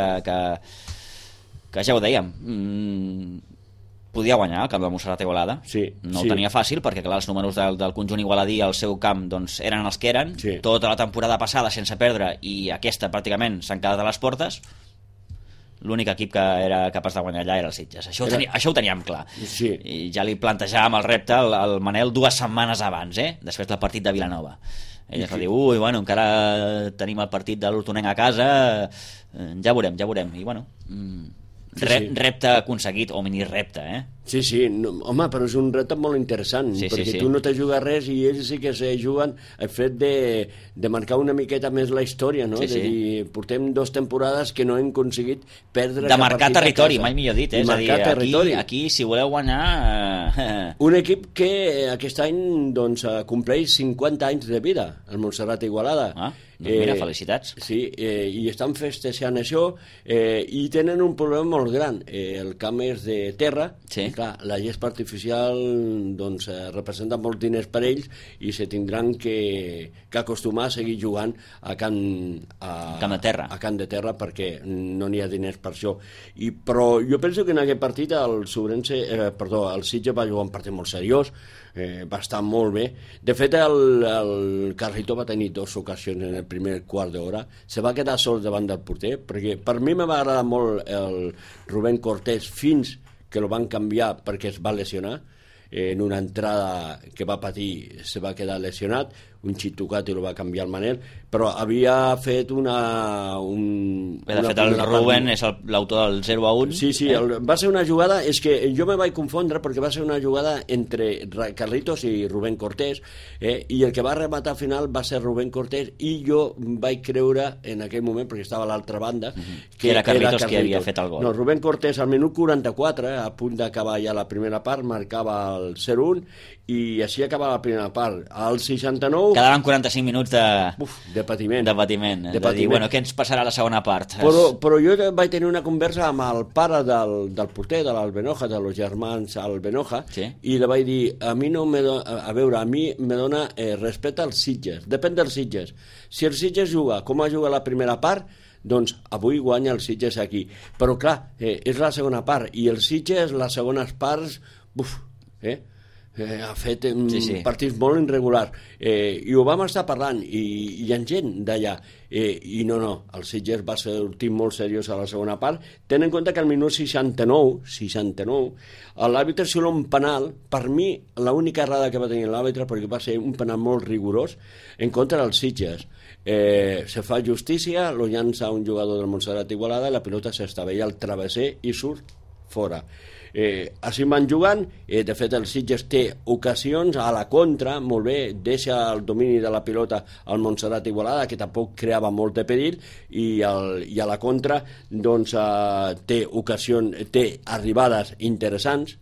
ja ho dèiem, podia guanyar el camp del Montserrat Igualada. No ho tenia fàcil perquè clar, els números del conjunt igualadí al seu camp doncs, eren els que eren. Tota la temporada passada sense perdre i aquesta pràcticament s'han quedat a les portes. L'únic equip que era capaç de guanyar allà era el Sitges. Això ho teníem clar. I ja li plantejàvem el repte al Manel 2 setmanes abans, després del partit de Vilanova. Ell es va dir, encara tenim el partit de l'Hortonenc a casa, ja veurem. I bueno, repte aconseguit, o mini repte, Sí, home, però és un repte molt interessant, perquè tu no te jugues res i ells sí que se juguen el fet de marcar una miqueta més la història, no? De dir, portem 2 temporades que no hem aconseguit perdre de marcar territori, mai millor dit, és a dir, aquí si voleu guanyar... Un equip que aquest any doncs compleix 50 anys de vida, el Montserrat Igualada. Doncs mira, felicitats. Sí, i estan festejant això i tenen un problema molt gran. El camp és de terra, clar, la gespa artificial doncs, representa molts diners per ells i se tindran que acostumar a seguir jugant a camp de terra perquè no n'hi ha diners per això. Però jo penso que en aquest partit el Sitges va jugar un partit molt seriós, va estar molt bé. De fet, el Carrito va tenir 2 ocasions en el primer quart d'hora, se va quedar sol davant del porter, perquè per mi m'ha agradat molt el Rubén Cortés fins que lo van canviar perquè es va lesionar. En una entrada que va patir se va quedar lesionat, un xip tocat i lo va canviar el Manel, però havia fet de fet el Rubén és l'autor del 0-1. Sí, va ser una jugada, és que jo me vaig confondre perquè va ser una jugada entre Carlitos i Rubén Cortés, i el que va rematar al final va ser Rubén Cortés i jo vaig creure en aquell moment, perquè estava a l'altra banda, que era Carlitos qui havia fet el gol. No, Rubén Cortés al minut 44, a punt d'acabar ja la primera part, marcava el 0-1 i així acabava la primera part. Al 69 quedaven 45 minuts de patiment. De dir, bueno, què ens passarà a la segona part? Però jo vaig tenir una conversa amb el pare del porter, de l'Albenoja, de los germans Albenoja, i li vaig dir, a mi me dona respecte als Sitges, depèn dels Sitges. Si el Sitges juga com ha jugat la primera part, doncs avui guanya el Sitges aquí. Però clar, és la segona part, i el Sitges, les segones parts, ha fet partits molt irregulars i ho vam estar parlant i hi ha gent d'allà i no, el Sitges va sortir molt seriós a la segona part. Ten en compte que al minut 69 l'àrbitre xiula un penal, per mi l'única errada que va tenir l'àrbitre, perquè va ser un penal molt rigorós en contra dels Sitges. Se fa justícia, lo llança un jugador del Montserrat Igualada i la pilota s'estavella al travesser i surt fora. Així van jugant, de fet el Sitges té ocasions a la contra, molt bé, deixa el domini de la pilota al Montserrat Igualada, que tampoc creava molt de perill, i a la contra doncs té ocasions, té arribades interessants,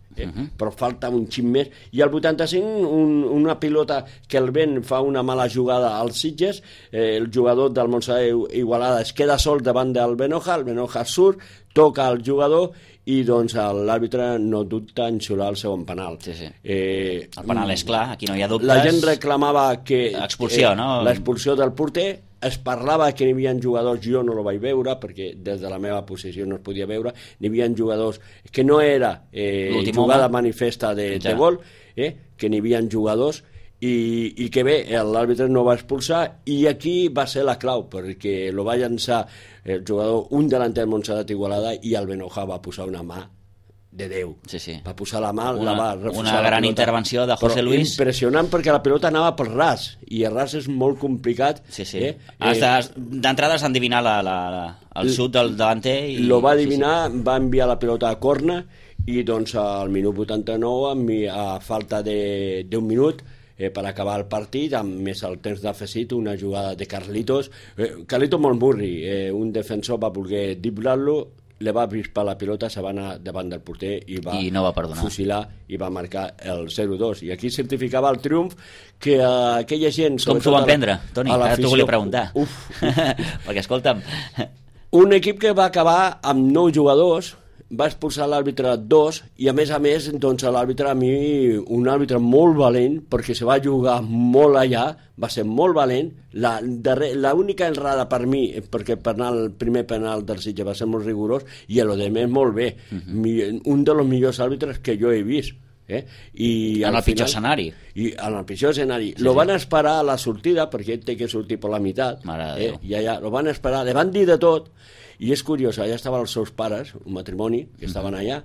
però falta un xic més, i al 85 una pilota que el vent fa una mala jugada als Sitges, el jugador del Montserrat Igualada es queda sol davant del Benoja, el Benoja surt, toca el jugador i doncs l'àrbitre no dubta en xiular el segon penal. El penal és clar, aquí no hi ha dubtes. La gent reclamava que expulsió, no? L'expulsió del porter, es parlava que n'hi havia jugadors, jo no lo vaig veure perquè des de la meva posició no es podia veure, n'hi havia jugadors que no era jugada manifesta de gol, que n'hi havia jugadors i que bé, l'àrbitre no va expulsar, i aquí va ser la clau, perquè lo va llançar el jugador, un delanter del Montserrat Igualada, i el Benoja va posar una mà de Déu. Va posar la mà, la va refusar. Una gran intervenció de José Luis. Impressionant, perquè la pilota anava pel ras, i el ras és molt complicat. D'entrada has d'endivinar el xut del davanter. Lo va adivinar, va enviar la pilota a corna, i doncs al minut 89, a falta d'un minut, per acabar el partit, amb més el temps d'afegit, una jugada de Carlitos molt murri, un defensor va voler driblar-lo, li va avispar la pilota, se va anar davant del porter i no va perdonar, fusilar i va marcar el 0-2, i aquí certificava el triomf que aquella gent... Com s'ho van prendre, Toni? Ara t'ho volia preguntar. Perquè escolta'm, un equip que va acabar amb 9 jugadors, va expulsar l'àrbitre 2, i a més doncs l'àrbitre, a mi un àrbitre molt valent, perquè se va jugar molt allà, va ser molt valent. L'única errada per mi, perquè el primer penal del Sitges va ser molt rigorós, i a lo de més molt bé, un dels millors àrbitres que jo he vist. En el pitjor escenari. En el pitjor escenari. Lo van esperar a la sortida, perquè ell té que sortir per la meitat, i allà lo van esperar, li van dir de tot. I és curiós, allà estaven els seus pares, un matrimoni que estaven allà,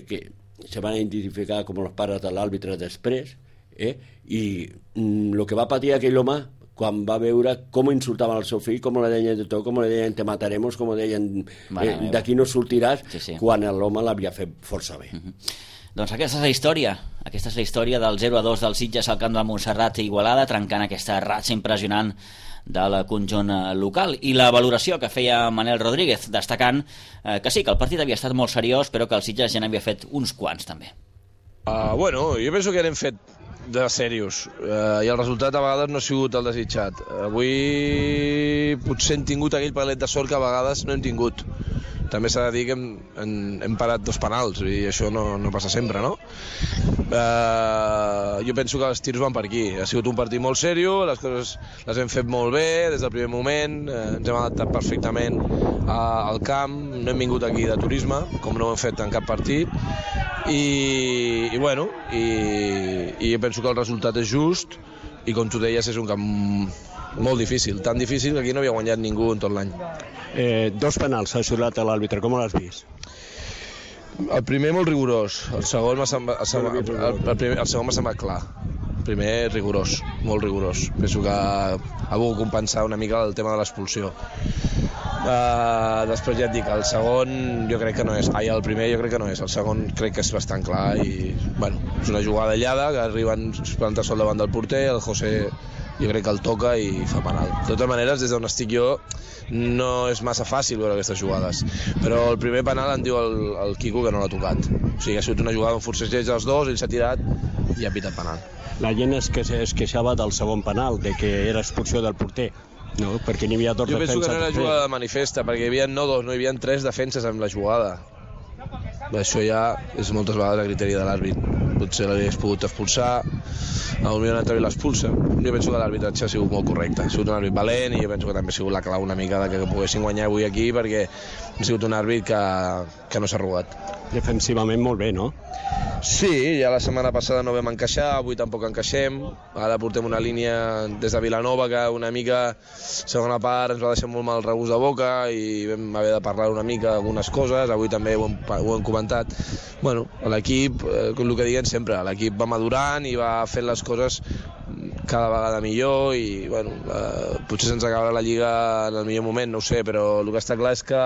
que se van identificar com els pares de l'àrbitre després, i el que va patir aquell home quan va veure com insultaven el seu fill, com li deien de tot, com li deien te mataremos, com li deien d'aquí no sortiràs, quan l'home l'havia fet força bé. Doncs aquesta és la història del 0-2 del Sitges al camp de Montserrat i Igualada, trencant aquesta ratxa impressionant del conjunt local, i la valoració que feia Manel Rodríguez, destacant que sí, que el partit havia estat molt seriós, però que el Sitges ja n'havia fet uns quants també. Bueno, jo penso que n'hem fet de serios, i el resultat a vegades no ha sigut el desitjat. Avui potser hem tingut aquell palet de sort que a vegades no hem tingut. També s'ha de dir que hem parat 2 penals, i això no passa sempre, no? Jo penso que els tirs van per aquí. Ha sigut un partit molt seriós, les coses les hem fet molt bé des del primer moment, ens hem adaptat perfectament al camp, no hem vingut aquí de turisme, com no ho hem fet en cap partit, i jo penso que el resultat és just, i com tu deies és un camp molt difícil, tan difícil que aquí no havia guanyat ningú en tot l'any. 2 penals s'ha xiulat a l'àrbitre, com l'has vist? El primer molt rigorós, el segon m'ha semblat clar. El primer rigorós, molt rigorós. Penso que ha volgut compensar una mica el tema de l'expulsió. Després ja et dic, el segon jo crec que no és, el primer jo crec que no és, el segon crec que és bastant clar, i és una jugada aïllada que arriben plantar sol davant del porter, el José jo crec que el toca i fa penal. De totes maneres, des d'on estic jo no és massa fàcil veure aquestes jugades, però el primer penal em diu el Quico que no l'ha tocat, o sigui, ha sigut una jugada on forcejeig els dos, ell s'ha tirat i ha pitat penal. La gent es queixava del segon penal, de que era expulsió del porter, no? Perquè n'hi havia 2 defenses. Jo penso que no era jugada manifesta, perquè hi havia no 2, no hi havia 3 defenses amb la jugada. Això ja és moltes vegades a criteri de l'àrbit. potser l'hagués pogut expulsar, potser l'àrbitre l'expulsa. Jo penso que l'arbitratge ha sigut molt correcte, ha sigut un àrbit valent i jo penso que també ha sigut la clau una mica que poguessin guanyar avui aquí, perquè ha sigut un àrbit que no s'ha arrugat. Defensivament molt bé, no? Sí, ja la setmana passada no vam encaixar, avui tampoc encaixem, ara portem una línia des de Vilanova que una mica, segona part, ens va deixar molt mal regust de boca i vam haver de parlar una mica algunes coses, avui també ho hem comentat. Bueno, l'equip, el que diguem sempre, l'equip va madurant i va fent les coses cada vegada millor i bueno, potser se'ns acabarà la Lliga en el millor moment, no ho sé, però el que està clar és que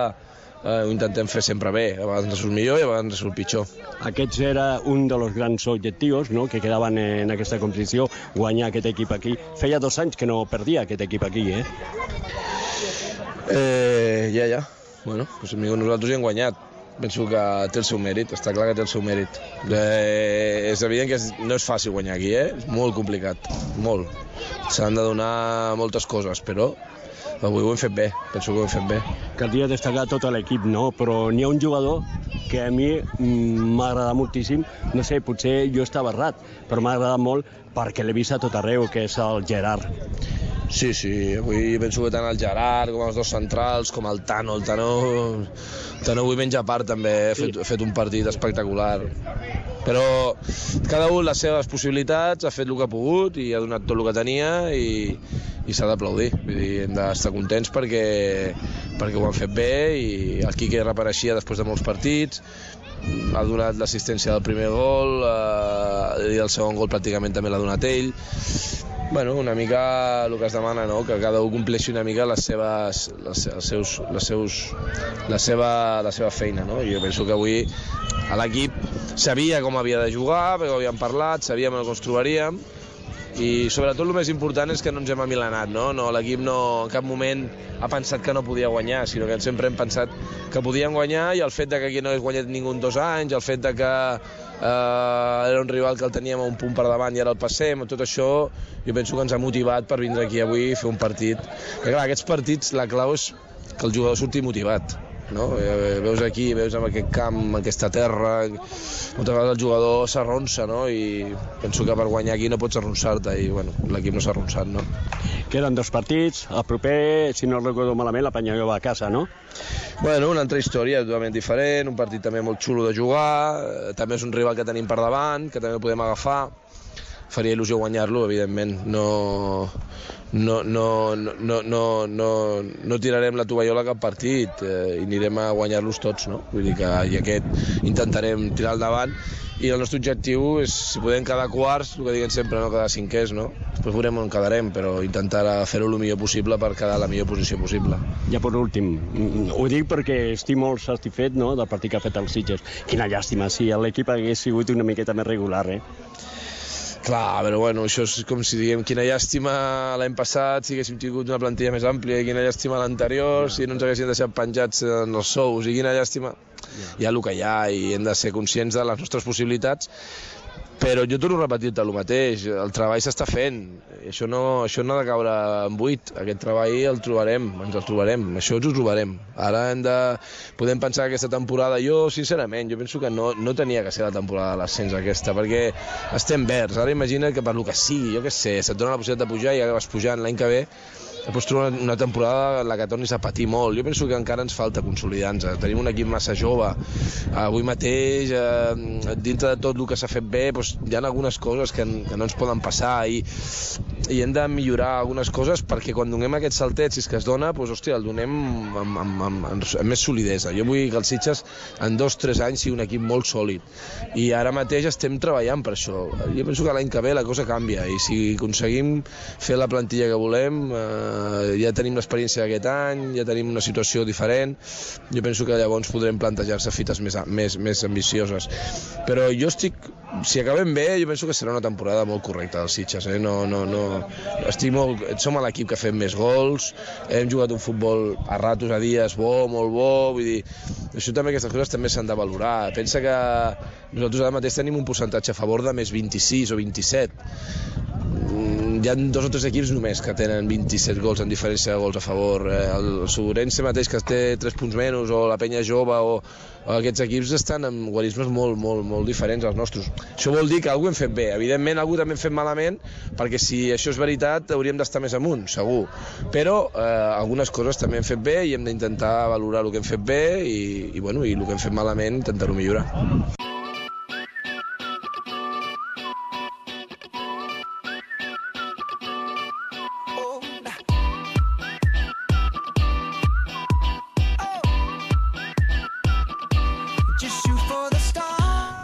ho intentem fer sempre bé, a vegades ens surt millor i a vegades ens surt pitjor. Aquests era un dels grans objectius, no?, que quedaven en aquesta competició, guanyar aquest equip aquí. Feia 2 anys que no perdia aquest equip aquí, Ja. Bueno, doncs nosaltres hi hem guanyat. Penso que té el seu mèrit, està clar que té el seu mèrit. És evident que no és fàcil guanyar aquí, és molt complicat, molt. S'han de donar moltes coses, però avui ho hem fet bé, penso que ho hem fet bé. Caldria destacar tot l'equip, no? Però n'hi ha un jugador que a mi m'ha agradat moltíssim, no sé, potser jo estava errat, però m'ha agradat molt perquè l'he vist a tot arreu, que és el Gerard. Sí, avui penso que tant el Gerard com els dos centrals, com el Tano avui menja part també, ha fet un partit espectacular. Però cada un les seves possibilitats, ha fet el que ha pogut i ha donat tot el que tenia i s'ha d'aplaudir. Vull dir, hem d'estar contents perquè ho han fet bé i el Quique reapareixia després de molts partits, ha donat l'assistència del primer gol i el segon gol pràcticament també l'ha donat ell. Bueno, una mica el que es demana, no?, que cada un compleixi una mica la seva feina, no? Jo penso que avui l'equip sabia com havia de jugar, perquè ho havíem parlat, sabíem on ens trobaríem, i sobretot el més important és que no ens hem amilanat, no? L'equip no en cap moment ha pensat que no podia guanyar, sinó que sempre hem pensat que podíem guanyar, i el fet que aquí no hagués guanyat ningú en 2 anys, el fet que era un rival que el teníem a un punt per davant i ara el passem, tot això jo penso que ens ha motivat per vindre aquí avui i fer un partit. Que clar, aquests partits la clau és que el jugador surti motivat, no? Veus aquí, veus en aquest camp, en aquesta terra, moltes vegades el jugador s'arronsa, no? I penso que per guanyar aquí no pots arronsar-te i bueno, l'equip no s'ha arronsat, no? Queden 2 partits, el proper, si no recordo malament, la Penyagó va a casa, no? Bueno, una altra història totalment diferent, un partit també molt xulo de jugar, també és un rival que tenim per davant, que també el podem agafar, faria il·lusió guanyar-lo, evidentment, no tirarem la tovallola a cap partit i anirem a guanyar-los tots, no? Vull dir que aquest intentarem tirar endavant i el nostre objectiu és, si podem quedar quarts, el que diguem sempre, no quedar cinquers, no? Després veurem on quedarem, però intentar fer-ho el millor possible per quedar a la millor posició possible. Ja per últim, ho dic perquè estic molt satisfet, no?, del partit que ha fet el Sitges. Quina llàstima, si l'equip hagués sigut una miqueta més regular, Clar, però bueno, això és com si diguem quina llàstima l'any passat si haguéssim tingut una plantilla més àmplia, i quina llàstima l'anterior si no ens haguessin deixat penjats en els sous, i quina llàstima. Hi ha el que hi ha i hem de ser conscients de les nostres possibilitats, però jo torno a repetir-te el mateix, el treball s'està fent, això no ha de caure en buit, aquest treball ens el trobarem, això ens ho trobarem. Ara podem pensar que aquesta temporada, jo sincerament, jo penso que no tenia que ser la temporada de l'ascens aquesta, perquè estem verds, ara imagina't que per lo que sigui, jo què sé, se't dona la possibilitat de pujar i acabes pujant l'any que ve, després trobar una temporada en la que tornis a patir molt. Jo penso que encara ens falta consolidar-nos. Tenim un equip massa jove. Avui mateix, dintre de tot el que s'ha fet bé, hi ha algunes coses que no ens poden passar i hem de millorar algunes coses perquè quan donem aquest saltet, si és que es dona, el donem amb més solidesa. Jo vull que el Sitges en 2-3 anys sigui un equip molt sòlid i ara mateix estem treballant per això. Jo penso que l'any que ve la cosa canvia i si aconseguim fer la plantilla que volem, ja tenim l'experiència d'aquest any, ja tenim una situació diferent, jo penso que llavors podrem plantejar-se fites més ambicioses. Però jo si acabem bé, jo penso que serà una temporada molt correcta dels Sitges, som l'equip que ha fet més gols, hem jugat un futbol a ratos, a dies molt bo, vull dir, això també, aquestes coses també s'han de valorar. Pensa que nosaltres ara mateix tenim un percentatge a favor de més 26 o 27, hi ha 2 o 3 equips només que tenen 27 gols en diferència de gols a favor. El Sobrense mateix, que té 3 punts menys, o la Penya Jove, o aquests equips estan amb guarismes molt diferents als nostres. Això vol dir que algú hem fet bé. Evidentment, algú també hem fet malament, perquè si això és veritat hauríem d'estar més amunt, segur. Però algunes coses també hem fet bé i hem d'intentar valorar el que hem fet bé i el que hem fet malament intentar-ho millorar.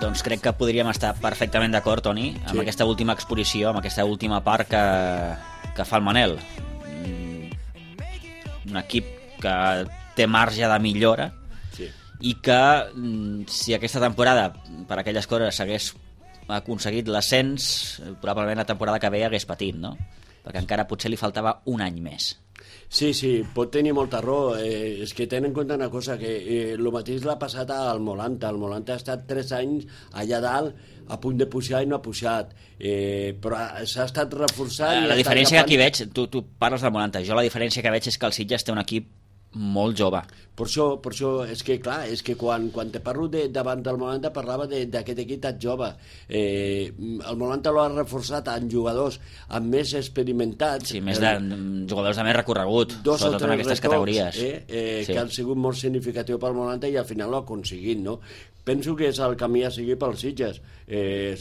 Doncs crec que podríem estar perfectament d'acord, Toni, amb aquesta última exposició, amb aquesta última part que fa el Manel. Un equip que té marge de millora i que si aquesta temporada per aquelles coses s'hagués aconseguit l'ascens, probablement la temporada que ve hagués patit, no? Perquè encara potser li faltava un any més. Sí, pot tenir molta raó. És que ten en compte una cosa, que el mateix l'ha passat al Molanta. El Molanta ha estat 3 anys allà dalt a punt de pujar i no ha pujat, però s'ha estat reforçant. La diferència que aquí veig, tu parles del Molanta, jo la diferència que veig és que el Sitges té un equip molt jove. Per això és que clar, és que quan te parlo davant del Molanta parlava d'aquest equip tan jove. El Molanta l'ha reforçat amb jugadors amb més experimentats, més de jugadors de més recorregut, sobretot en aquestes categories, que han sigut molt significatius pel Molanta i al final l'ha aconseguit, no? Penso que és el camí a seguir pels Sitges.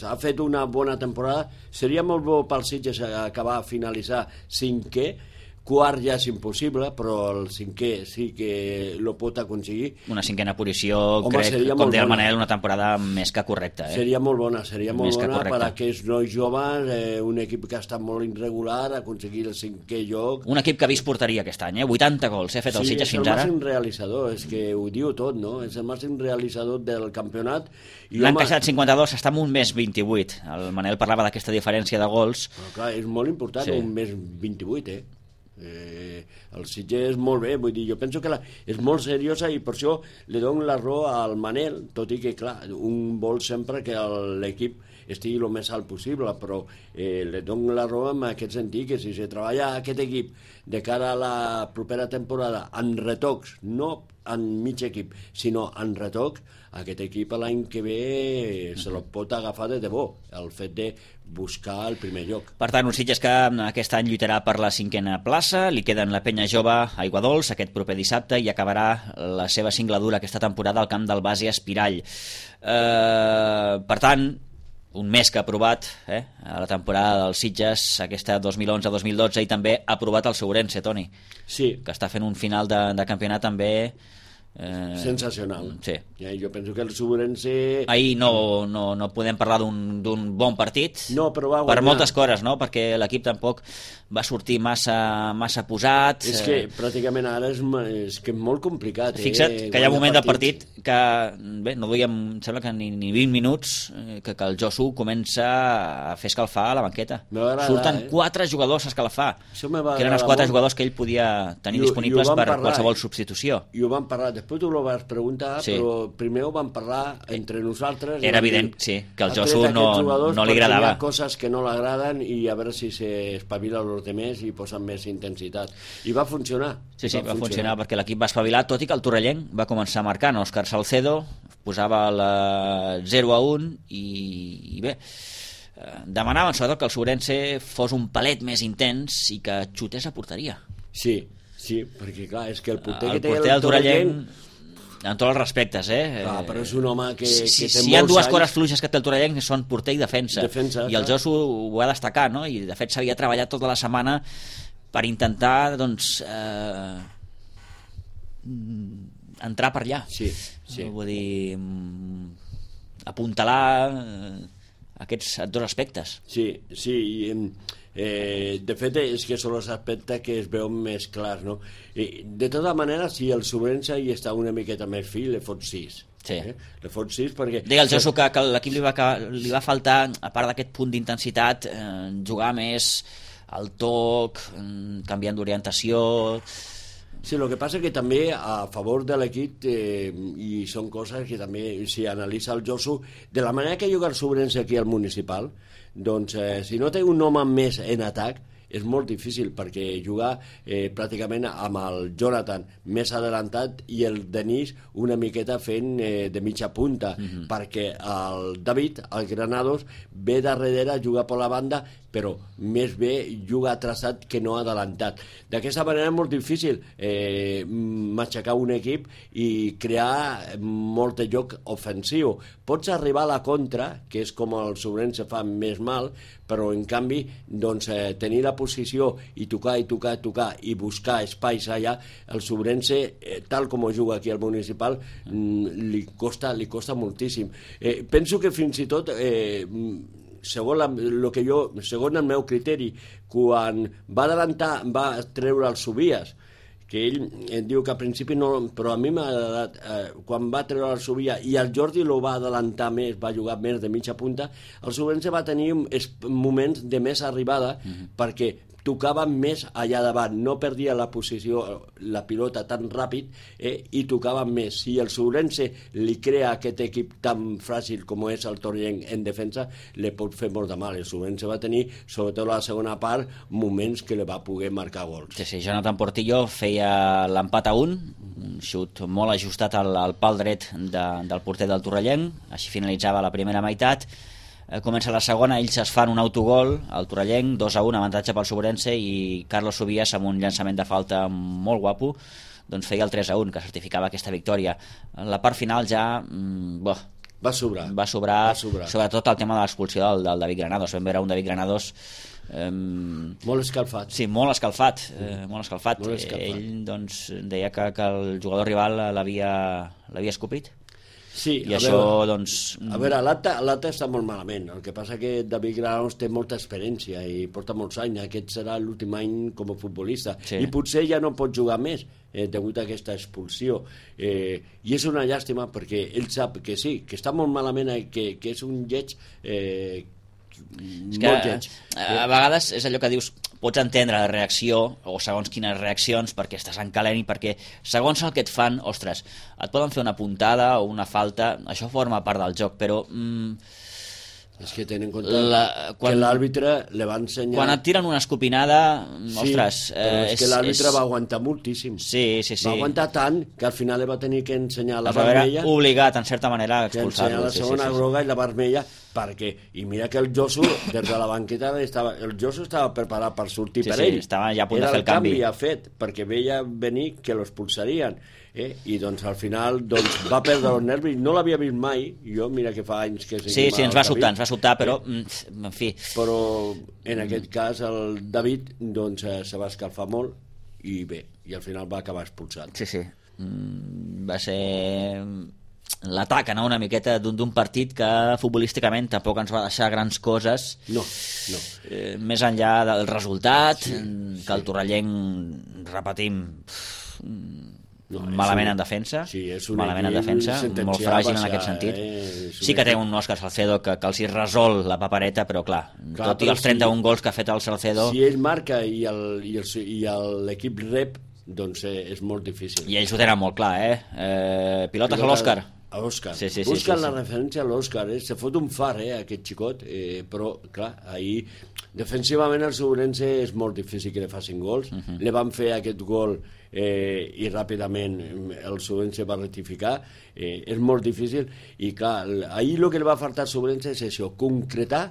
Ha fet una bona temporada. Seria molt bo pels Sitges acabar a finalitzar 5è. Quart ja és impossible, però el 5è sí que lo pot aconseguir. Una 5a posició, crec, com deia el Manel, una temporada més que correcta. Seria molt bona per a aquests nois joves, un equip que ha estat molt irregular, aconseguir el 5è lloc. Un equip que ha vist porteria aquest any, 80 gols, ha fet el Sitges fins ara. Sí, és el màxim realitzador, és que ho diu tot, no? És el màxim realitzador del campionat. L'han casat 52, està amb un més 28. El Manel parlava d'aquesta diferència de gols. Però clar, és molt important, un més 28, el Sitges és molt bé, vull dir, jo penso que és molt seriosa i per això li dono la raó al Manel, tot i que clar, un vol sempre que l'equip estigui el més alt possible, però li dono la raó en aquest sentit, que si se treballa aquest equip de cara a la propera temporada en retocs, no en mig equip, sinó en retocs, aquest equip l'any que ve se lo pot agafar de debò, el fet de buscar el primer lloc. Per tant, un Sitges que aquest any lluitarà per la 5a plaça, li queden la Penya Jove Aiguadols aquest proper dissabte i acabarà la seva singladura aquesta temporada al camp del Base Espirall. Per tant, un més que ha aprovat a la temporada dels Sitges, aquesta 2011-2012, i també ha aprovat el Ourense, Toni. Sí. Que està fent un final de campionat també sensacional. Sí. Jo penso que el Ourense... Ahir no podem parlar d'un bon partit, no, però va guanyar. Per moltes coses, no? Perquè l'equip tampoc va sortir massa posat. És que pràcticament ara és que molt complicat. Fixa't que hi ha un moment del partit que bé, no duíem, em sembla que ni 20 minuts que el Josu comença a fer escalfar a la banqueta. Surten 4 jugadors a escalfar, que eren els 4 jugadors que ell podia tenir disponibles per qualsevol substitució. I ho vam parlar, després tu ho vas preguntar, però primer ho vam parlar entre nosaltres. Era evident, sí, que el Josu no li agradava. Hi ha coses que no l'agraden i a veure si s'espavila els demés i posen més intensitat. I va funcionar. Sí, va funcionar perquè l'equip va espavilar, tot i que el Torrellenc va començar marcant. Òscar Salcedo posava la 0-1 i bé, demanaven sobretot que el Ourense fos un palet més intens i que xutés a porteria. Sí, perquè clar, és que el porter que té el Torrellenc, en tots els respectes, Clar, però és un home que té si hi ha dues coses fluixes que té el Torrellenc són porter i defensa i el Josu ho ha destacat, no? I de fet s'havia treballat tota la setmana per intentar entrar per allà. Sí. Vull dir, apuntalar aquests 2 aspectes. Sí, de fet és que són els aspectes que es veuen més clars, no? De tota manera, si el Ourense hi està una miqueta més fi, li fot 6. Sí. Le fot 6 perquè... Deia el Josu que l'equip li va faltar, a part d'aquest punt d'intensitat, jugar més al toc, canviant d'orientació. Sí, el que passa que també a favor de l'equip, i són coses que també si analitza el Josu, de la manera que juga el Sobrense aquí al Municipal, doncs si no té un home més en atac, és molt difícil, perquè jugar pràcticament amb el Jonathan més adelantat i el Denis una miqueta fent de mitja punta, perquè el David, el Granados, ve darrere a jugar per la banda, però més bé juga atrasat que no adelantat. D'aquesta manera és molt difícil matxacar un equip i crear molt de joc ofensiu. Pots arribar a la contra, que és com el Sobrense fa més mal, però en canvi doncs, tenir la posició i tocar i buscar espais allà, el Sobrense, tal com ho juga aquí al Municipal, li costa moltíssim. Penso que fins i tot segons el meu criteri, quan va adelantar, va treure els Subies, que ell diu que al principi no, però a mi m'ha agradat, quan va treure el Subia i el Jordi lo va adelantar més, va jugar més de mitja punta, el Sobrense va tenir moments de més arribada, perquè tocava més allà davant, no perdia la posició, la pilota tan ràpid, i tocava més. Si el Sobrense li crea aquest equip tan fràgil com és el Torrellent en defensa, li pot fer molt de mal. El Sobrense va tenir, sobretot a la segona part, moments que li va poder marcar gols. Sí, Jonathan Portillo feia l'empat a 1, un xut molt ajustat al pal dret del porter del Torrellent, així finalitzava la primera meitat. Comença la segona, ells es fan un autogol, el Torrellent, 2-1, avantatge pel Sobrense, i Carlos Subias, amb un llançament de falta molt guapo, doncs feia el 3-1, que certificava aquesta victòria. La part final ja... Va sobrar, sobretot el tema de l'expulsió del David Granados. Vam veure un David Granados molt escalfat. Sí, molt escalfat. Ell doncs, deia que el jugador rival l'havia escopit. Sí, i això, doncs... A veure, l'Ata està molt malament. El que passa que David Granados té molta experiència i porta molts anys. Aquest serà l'últim any com a futbolista. Sí. I potser ja no pot jugar més degut a aquesta expulsió. I és una llàstima perquè ell sap que sí, que està molt malament, que és un lleig... és que a vegades és allò que dius, pots entendre la reacció o segons quines reaccions perquè estàs en calent i perquè segons el que et fan, ostres, et poden fer una puntada o una falta, això forma part del joc, però és que tenen en compte que l'àrbitre li va ensenyar... Quan et tiren una escopinada, ostres... Sí, però és que l'àrbitre va aguantar moltíssim. Sí. Va aguantar tant que al final li va tenir que ensenyar la vermella... Obligat, en certa manera, a expulsar-lo. La segona groga i la vermella, perquè... I mira que el Josu, des de la banqueta, el Josu estava preparat per sortir per ell. Estava ja a punt de fer el canvi. Era el canvi fet, perquè veia venir que l'expulsarien. I doncs al final va perdre els nervis, no l'havia vist mai, jo mira que fa anys que... Sí, ens va sobtar, però en fi... Però en aquest cas el David doncs se va escalfar molt i bé, i al final va acabar expulsat. Sí, va ser l'atac, no? Una miqueta d'un partit que futbolísticament tampoc ens va deixar grans coses. No. Més enllà del resultat, que el Torrellent, repetim... malament en defensa, molt fràgil en aquest sentit. Sí que té un Òscar Salcedo que els hi resol la papereta, però clar, tot i els 31 gols que ha fet el Salcedo... Si ell marca i l'equip rep, doncs és molt difícil. I ells ho tenen molt clar, pilotes a l'Òscar. A Òscar. Busquen la referència a l'Òscar, se fot un far, aquest xicot, però clar, ahir defensivament el Sobrense és molt difícil que li facin gols. Li van fer aquest gol i ràpidament el Sobrense va rectificar. És molt difícil i clar, ahir el que li va faltar al Sobrense és això, concretar,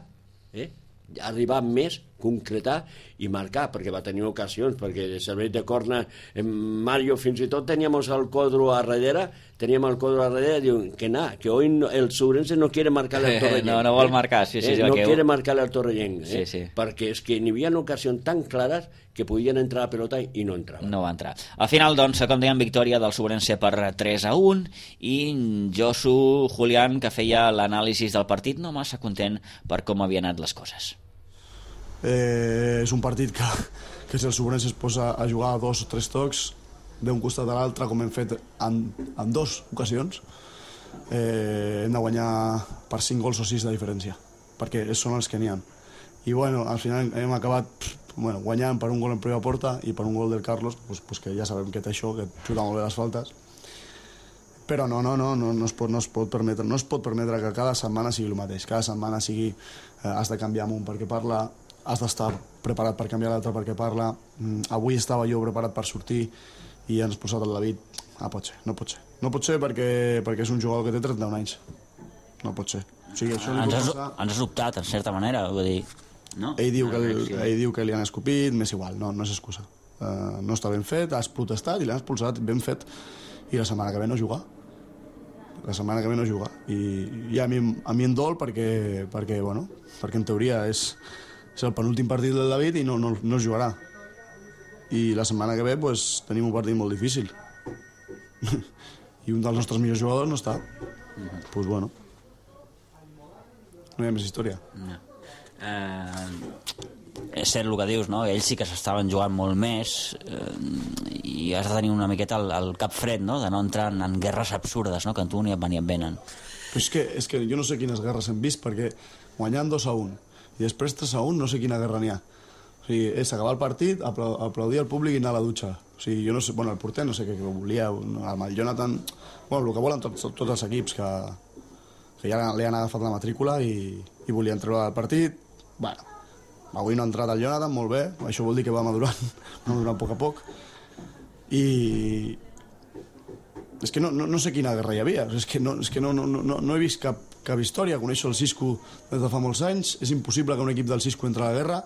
arribar més, concretar i marcar, perquè va tenir ocasions, perquè de servei de corna Mario fins i tot teníem el Codro a darrere, diuen que hoy el Sobrense no quiere marcarle al Torrellent. No vol marcar, no quiere marcarle al Torrellent, perquè és que n'hi havia ocasions tan clares que podien entrar a la pelota i no entraven. No va entrar. Al final, doncs, com dèiem, victòria del Sobrense per 3-1 i Josu Julián, que feia l'anàlisi del partit, no massa content per com havien anat les coses. És un partit que si el Sobrense es posa a jugar 2 o 3 tocs d'un costat a l'altre, com hem fet en 2 ocasions, hem de guanyar per 5 gols o 6 de diferència, perquè són els que n'hi ha. I bueno, al final hem acabat guanyant per un gol en primera porta i per un gol del Carlos, pues que ja sabem que té això, que xuta molt bé les faltes. Però no es pot permetre que cada setmana sigui el mateix, cada setmana sigui has de canviar amb un perquè parla, has d'estar preparat per canviar l'altre perquè parla. Avui estava jo preparat per sortir i han expulsat el David. No pot ser perquè és un jugador que té 31 anys. No pot ser. O sigui, això ens has optat, en certa manera, vull dir... No? Ell diu que li han escopit, m'és igual, no és excusa. No està ben fet, has protestat i l'han expulsat, ben fet, i la setmana que ve no juga. I a mi em dol perquè en teoria és el penúltim partit del David i no es jugarà. I la setmana que ve tenim un partit molt difícil. I un dels nostres millors jugadors no està. Doncs bueno, no hi ha més història. No. És cert el que dius, no? Ells sí que s'estaven jugant molt més i has de tenir una miqueta el cap fred, no? De no entrar en guerres absurdes, no? Que a tu ni et venen. És que jo no sé quines guerres hem vist, perquè guanyant 2-1 i després 3-1 no sé quina guerra n'hi ha. O sigui, és acabar el partit, aplaudir al públic i anar a la dutxa. O sigui, jo no sé, el porter no sé què volia, amb el Jonathan, el que volen tots els equips, que ja li han agafat la matrícula i volien treure el partit. Bueno, avui no ha entrat el Jonathan, molt bé, això vol dir que va madurant a poc a poc. I és que no sé quina guerra hi havia, és que no he vist cap història. Coneixo el Cisco des de fa molts anys, és impossible que un equip del Cisco entri a la guerra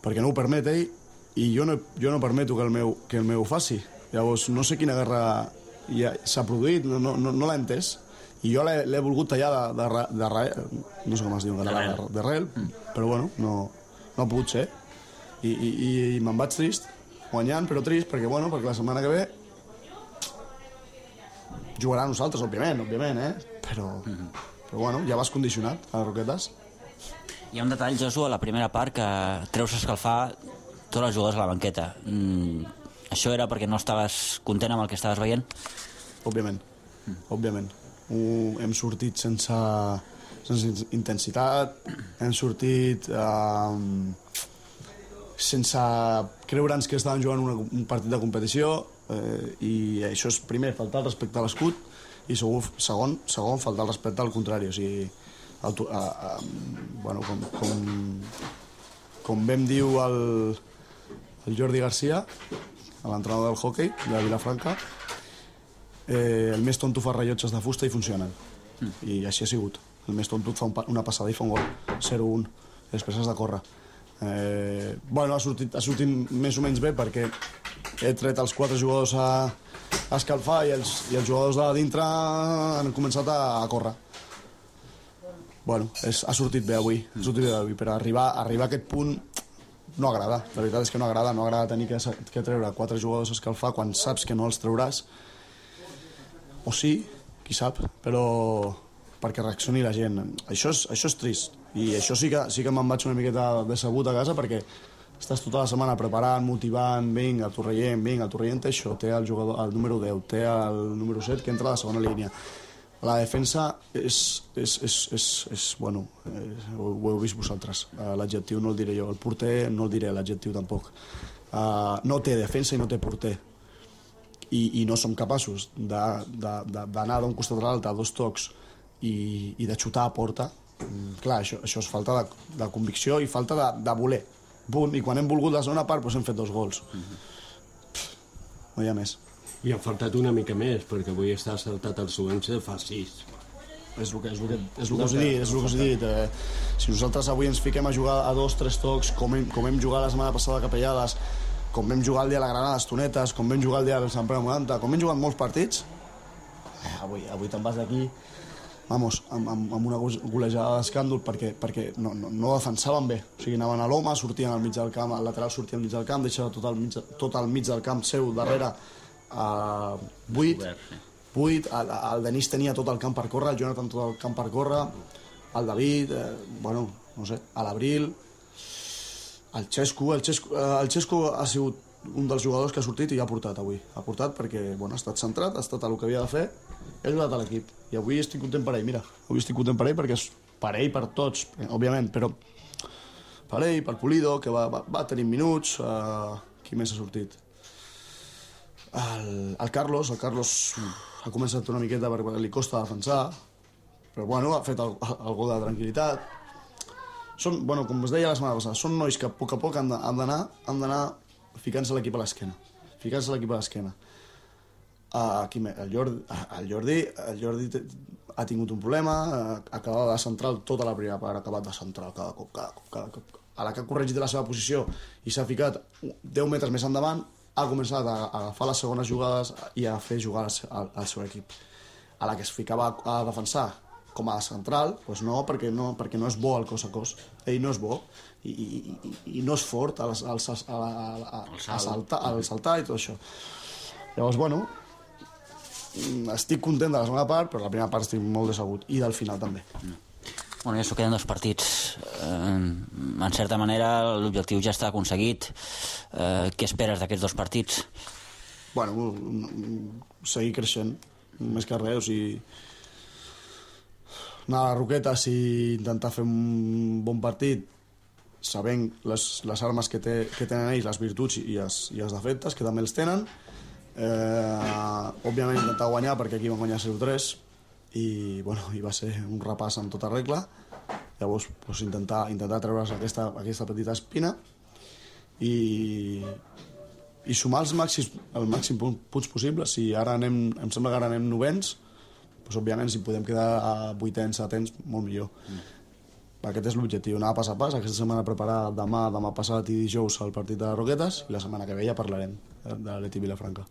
perquè no ho permet ell, i jo no permeto que el meu ho faci. Llavors no sé quina guerra s'ha produït, no l'he entès, i jo l'he volgut tallar no sé com es diu, d'arrel, però bueno, no ha pogut ser, i me'n vaig trist, guanyant, però trist, perquè la setmana que ve jugarà a nosaltres, òbviament, però bueno, ja vas condicionat a les Roquetes. Hi ha un detall, Josu, a la primera part, que treus a escalfar tots els jugadors a la banqueta. Això era perquè no estaves content amb el que estaves veient? Òbviament. Hem sortit sense intensitat, hem sortit sense creure'ns que estaven jugant un partit de competició, i això és, primer, faltar el respecte a l'escut, i segon, faltar el respecte al contrari. O sigui, com vam diu el Jordi Garcia, l'entrenador del hockey de Vilafranca, el més tonto fa rellotges de fusta i funcionen, i així ha sigut. El més tonto fa una passada i fa un gol 0-1, després has de córrer. Ha sortit més o menys bé perquè he tret els 4 jugadors a escalfar i els jugadors de dintre han començat a córrer. Ha sortit bé avui, però arribar a aquest punt no agrada. La veritat és que no agrada tenir que treure 4 jugadors a escalfar quan saps que no els trauràs, o sí, qui sap, però perquè reaccioni la gent. Això és trist, i això sí que me'n vaig una miqueta decebut a casa, perquè estàs tota la setmana preparant, motivant, vinga, Torrellent té això, té el jugador, el número 10, té el número 7 que entra a la segona línia. La defensa bueno, ho heu vist vosaltres, l'adjectiu no el diré jo, el porter no el diré, l'adjectiu tampoc. No té defensa i no té porter, i no som capaços d'anar d'un costat a l'altre a 2 tocs i de xutar a porta. Clar, això és falta de convicció i falta de voler, punt. I quan hem volgut la segona part hem fet 2 gols. No hi ha més. I ha faltat una mica més, perquè avui està saltat el Suense, fa 6. És el que us he dit. Si nosaltres avui ens fiquem a jugar a 2-3 tocs, com hem jugat la setmana passada a Capellades, com vam jugar el dia de la Granada a les Tonetes, com vam jugar el dia del Sant Pere 90, com hem jugat molts partits, avui te'n vas d'aquí amb una golejada d'escàndol, perquè no defensaven bé. O sigui, anaven a l'home, sortien al mig del camp, al lateral sortien al mig del camp, deixava tot al mig del camp seu darrere buit, el Denis tenia tot el camp per córrer, el Jonathan tot el camp per córrer, el David, no sé, a l'Abril, el Xesco ha sigut un dels jugadors que ha sortit i ha portat avui. Ha portat perquè ha estat centrat, ha estat el que havia de fer, ha ajudat a l'equip. I avui estic content per ell, mira. Avui estic content per ell perquè és per ell, per tots, òbviament, però per ell, per Pulido, que va tenir minuts. Qui més ha sortit? El Carlos ha començat una miqueta perquè li costa defensar, però bueno, ha fet el gol de tranquil·litat. Són, bueno, com us deia la setmana passada, són nois que a poc han d'anar ficant-se l'equip a l'esquena. El Jordi ha tingut un problema, acabava de central tota la primera part, ha acabat de central cada cop. A la que ha corregit la seva posició i s'ha ficat 10 metres més endavant, ha començat a agafar les segones jugades i a fer jugar al seu equip. A la que es ficava a defensar com a central, doncs no, perquè no és bo el cos a cos. Ell no és bo i no és fort al saltar i tot això. Llavors, bueno, estic content de la segona part, però la primera part estic molt decebut, i del final també. Bueno, ja s'ho queden 2 partits. En certa manera, l'objectiu ja està aconseguit. Què esperes d'aquests 2 partits? Bueno, seguir creixent, més que res, o sigui, anar a les Roquetes i intentar fer un bon partit, sabent les armes que tenen ells, les virtuts i els defectes, que també els tenen. Òbviament intentar guanyar, perquè aquí van guanyar 0-3 i va ser un repàs en tota regla. Llavors intentar treure's aquesta petita espina i sumar el màxim punts possibles. Si ara em sembla que ara anem 9ens, òbviament si podem quedar a 8ens, 7ens, molt millor. Aquest és l'objectiu, anar pas a pas. Aquesta setmana preparar demà passat i dijous el partit de Roquetes, i la setmana que ve ja parlarem de l'Atleti Vilafranca.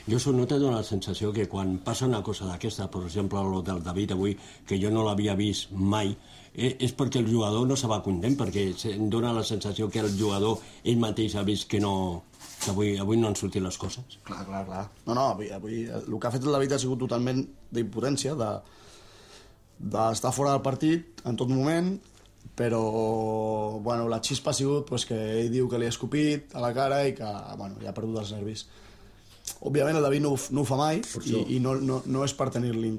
Jo no te dona la sensació que quan passa una cosa d'aquesta, per exemple el del David avui, que jo no l'havia vist mai, és perquè el jugador no se va content, perquè em dona la sensació que el jugador ell mateix ha vist que avui no han sortit les coses. Clar. No, avui el que ha fet el David ha sigut totalment d'impotència, d'estar fora del partit en tot moment, però la xispa ha sigut que ell diu que li ha escopit a la cara i que ja ha perdut els nervis. Òbviament el David no ho fa mai i no és per tenir-li en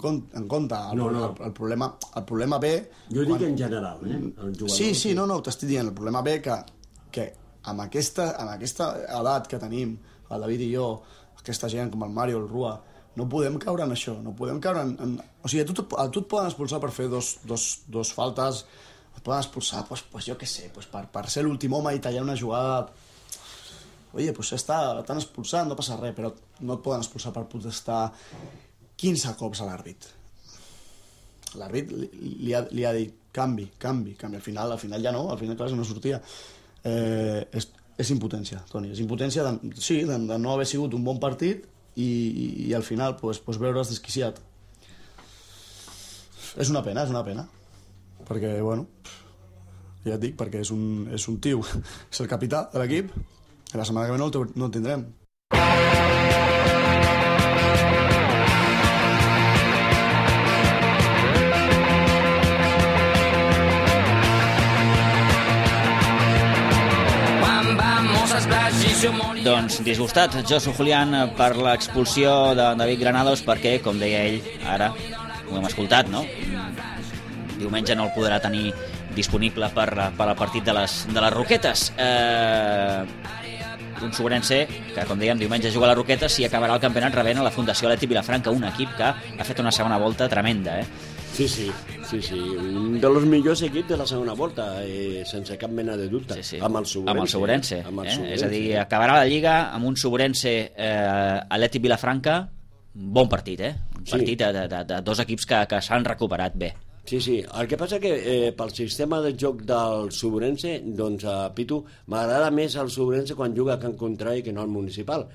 compte. El problema ve... Jo dic en general, Sí, t'estic dient, el problema ve que amb aquesta edat que tenim, el David i jo, aquesta gent com el Mario, el Rua, no podem caure en això, no podem caure en... O sigui, a tu et poden expulsar per fer dos faltes, et poden expulsar, jo què sé, per ser l'últim home i tallar una jugada... Oye, t'han expulsat, no passa res, però no et poden expulsar per protestar 15 cops a l'àrbit. L'àrbit li ha dit canvi. Al final ja no, al final clar, és una sortida. És impotència, Toni, és impotència de no haver sigut un bon partit i al final veure's desquiciat. És una pena, perquè, ja et dic, perquè és un tio, és el capità de l'equip, i la setmana que ve no el tindrem. Doncs disgustat Josu Julián per l'expulsió de David Granados perquè, com deia ell, ara ho hem escoltat, no? Diumenge no el podrà tenir disponible per al partit de les Roquetes. Un sobrense que, com dèiem, diumenge juga a les Roquetes i acabarà el campionat rebent a la Fundació Atleti Vilafranca, un equip que ha fet una segona volta tremenda, Sí, un dels millors equips de la segona volta, sense cap mena de dubte, amb el Sobrense. És a dir, acabarà la Lliga amb un Sobrense Atleti Vilafranca, bon partit, un partit de 2 equips que s'han recuperat bé. Sí, el que passa que pel sistema de joc del Sobrense, doncs, Pitu, m'agrada més el Sobrense quan juga a Can Contrari que no al Municipal.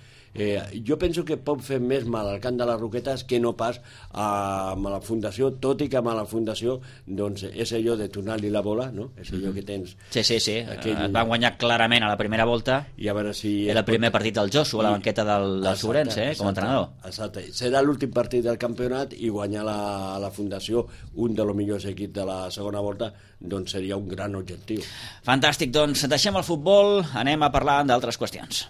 Jo penso que pot fer més mal al camp de les Roquetes que no pas amb la Fundació, tot i que amb la Fundació doncs, és allò de tornar-li la bola, no? És allò que tens... Sí, et van guanyar clarament a la primera volta i a veure si... Era el primer partit del Josu a la banqueta del Sobrense, com a entrenador. Exacte, serà l'últim partit del campionat i guanyar la Fundació, un dels millors equips de la segona volta, doncs seria un gran objectiu. Fantàstic, doncs deixem el futbol, anem a parlar d'altres qüestions.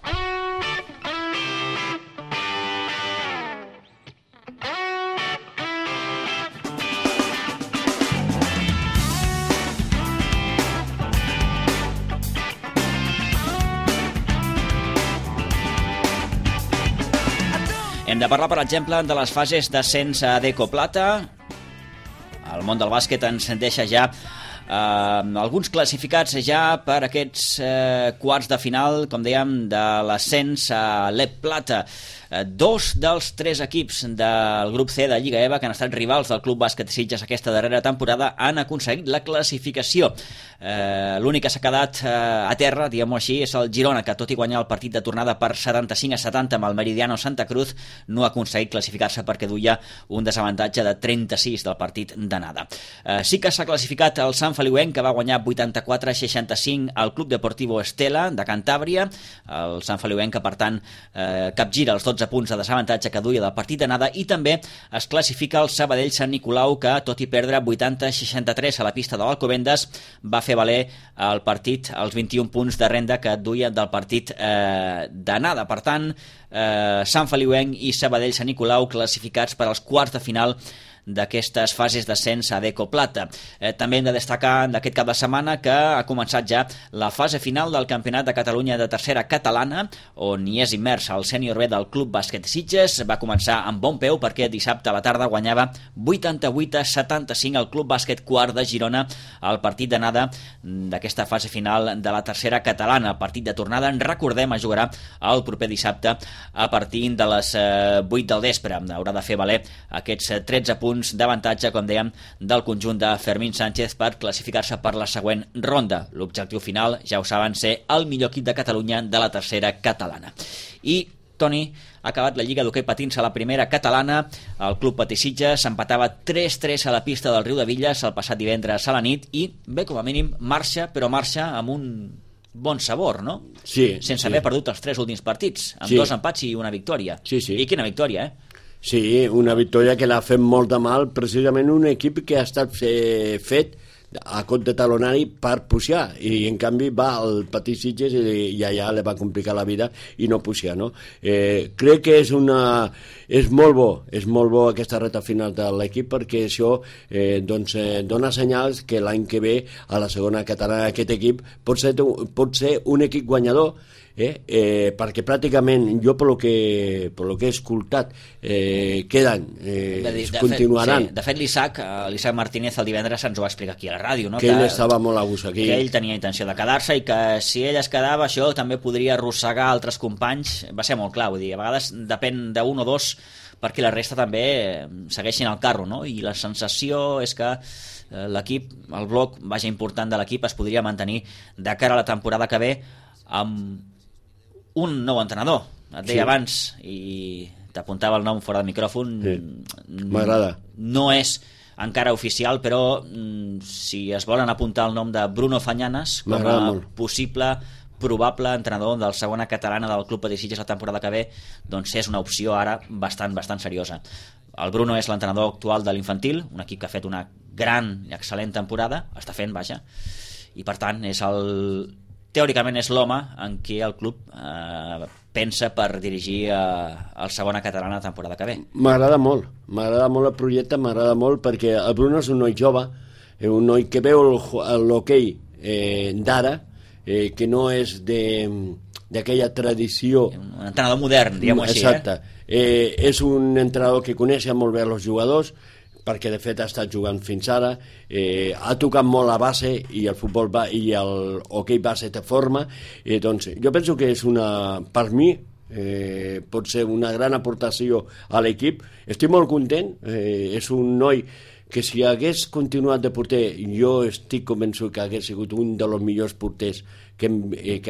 Hem de parlar, per exemple, de les fases d'ascens a Deco Plata. El món del bàsquet ens deixa ja alguns classificats ja per aquests quarts de final, com dèiem, de l'ascens a l'Ep Plata. Dos dels tres equips del grup C de Lliga EVA, que han estat rivals del Club Bàsquet Sitges aquesta darrera temporada, han aconseguit la classificació. L'únic que s'ha quedat a terra, diguem-ho així, és el Girona, que tot i guanyar el partit de tornada per 75-70 amb el Meridiano Santa Cruz, no ha aconseguit classificar-se perquè duia un desavantatge de 36 del partit d'anada. Sí que s'ha classificat el Sant Feliuenc, que va guanyar 84-65 al Club Deportivo Estela de Cantàbria. El Sant Feliuenc, que per tant capgira els 12 punts de desavantatge que duia del partit d'anada, i també es classifica el Sabadell Sant Nicolau, que tot i perdre 80-63 a la pista de l'Alcobendas, va fer valer el partit els 21 punts de renda que duia del partit d'anada. Per tant, Sant Feliuenc i Sabadell Sant Nicolau classificats per als quarts de final d'aquestes fases d'ascens a Deco Plata. També hem de destacar d'aquest cap de setmana que ha començat ja la fase final del Campionat de Catalunya de tercera catalana, on hi és immers el sènior B del Club Bàsquet Sitges. Va començar amb bon peu perquè dissabte a la tarda guanyava 88-75 el Club Bàsquet Quart de Girona al partit d'anada d'aquesta fase final de la tercera catalana. El partit de tornada, en recordem, es jugarà el proper dissabte a partir de les 8 del vespre. Haurà de fer valer aquests 13 punts d'avantatge, com dèiem, del conjunt de Fermín Sánchez per classificar-se per la següent ronda. L'objectiu final, ja ho saben, ser el millor equip de Catalunya de la tercera catalana. I Toni, ha acabat la Lliga d'Hoquei Patins a la primera catalana. El Club Patí Sitges s'empatava 3-3 a la pista del Riudevilles el passat divendres a la nit i, bé, com a mínim, marxa, però marxa amb un bon sabor, no? Sí. Sense haver perdut els 3 últims partits, amb 2 empats i una victòria. Sí, sí. I quina victòria, Sí, una victòria que l'ha fet molt de mal, precisament un equip que ha estat fet a cop de talonari per pujar, i en canvi va al Patí Sitges i allà li va complicar la vida i no pujar, no? Crec que és molt bo aquesta reta final de l'equip, perquè això dona senyals que l'any que ve a la segona catalana aquest equip pot ser un equip guanyador, perquè pràcticament jo pel que he escoltat queden, continuaran. De fet, l'Isaac Martínez el divendres ens ho va explicar aquí a la ràdio, no? Que ell estava molt a gust aquí, que ell tenia intenció de quedar-se i que si ell es quedava això també podria arrossegar altres companys. Va ser molt clar, vull dir, a vegades depèn d'un o dos perquè la resta també segueixin el carro, no? I la sensació és que l'equip, el bloc important de l'equip es podria mantenir de cara a la temporada que ve amb un nou entrenador. Et deia abans, i t'apuntava el nom fora del micròfon, m'agrada. No és encara oficial, però si es volen apuntar el nom de Bruno Fañanas com a possible, probable entrenador del segona catalana del Club Patí Sitges la temporada que ve, doncs és una opció ara bastant seriosa. El Bruno és l'entrenador actual de l'Infantil, un equip que ha fet una gran i excel·lent temporada, està fent, vaja, i per tant teòricament és l'home en què el club pensa per dirigir el segona catalana la temporada que ve. M'agrada molt el projecte, m'agrada molt perquè el Bruno és un noi jove, un noi que veu l'hoquei d'ara, que no és d'aquella tradició, un entrenador modern, diguem-ho així. Exacte. És un entrenador que coneix molt bé els jugadors, perquè de fet ha estat jugant fins ara, ha tocat molt la base i el futbol i l'hoquei base té forma, doncs jo penso que és per mi pot ser una gran aportació a l'equip. Estic molt content, és un noi que si hagués continuat de porter, jo estic convençut que hagués sigut un dels millors porters que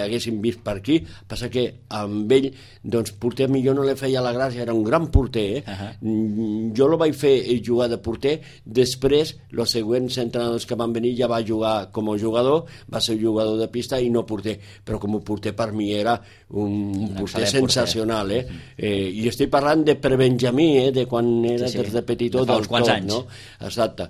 haguéssim vist per aquí. Passa que amb ell, doncs, porter millor no li feia la gràcia, era un gran porter, Jo el vaig fer jugar de porter, després els següents entrenadors que van venir ja va jugar com a jugador, va ser jugador de pista i no porter, però com a porter per mi era un porter sensacional, I estic parlant de prebenjamí, de quan era des de petitó, de fa uns quants anys, no? Exacte.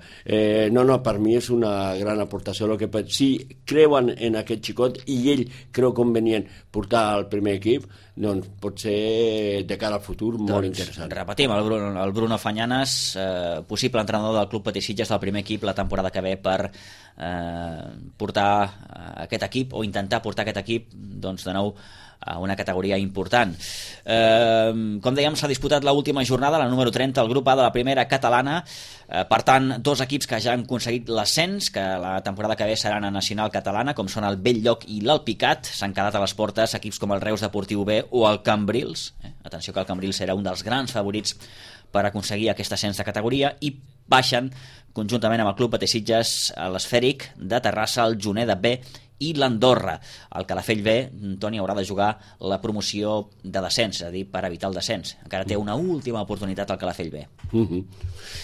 No, per mi és una gran aportació. Si creuen en aquest xicot i ell creu convenient portar al primer equip, doncs pot ser de cara al futur molt interessant. Repetim, el Bruno Fañanas, possible entrenador del Club Patí Sitges del primer equip la temporada que ve per portar aquest equip o intentar portar aquest equip doncs de nou una categoria important. Com dèiem, s'ha disputat l'última jornada, la número 30, el grup A de la primera catalana. Per tant, 2 equips que ja han aconseguit l'ascens, que la temporada que ve seran a Nacional Catalana, com són el Bell-lloc i l'Alpicat. S'han quedat a les portes equips com el Reus Deportiu B o el Cambrils. Atenció que el Cambrils era un dels grans favorits per aconseguir aquest ascens de categoria, i baixen conjuntament amb el Club Pateixitges, l'Esfèric de Terrassa, el Juneda B i l'Andorra. El Calafell B, Toni, haurà de jugar la promoció de descens, és a dir, per evitar el descens. Encara té una última oportunitat al Calafell B.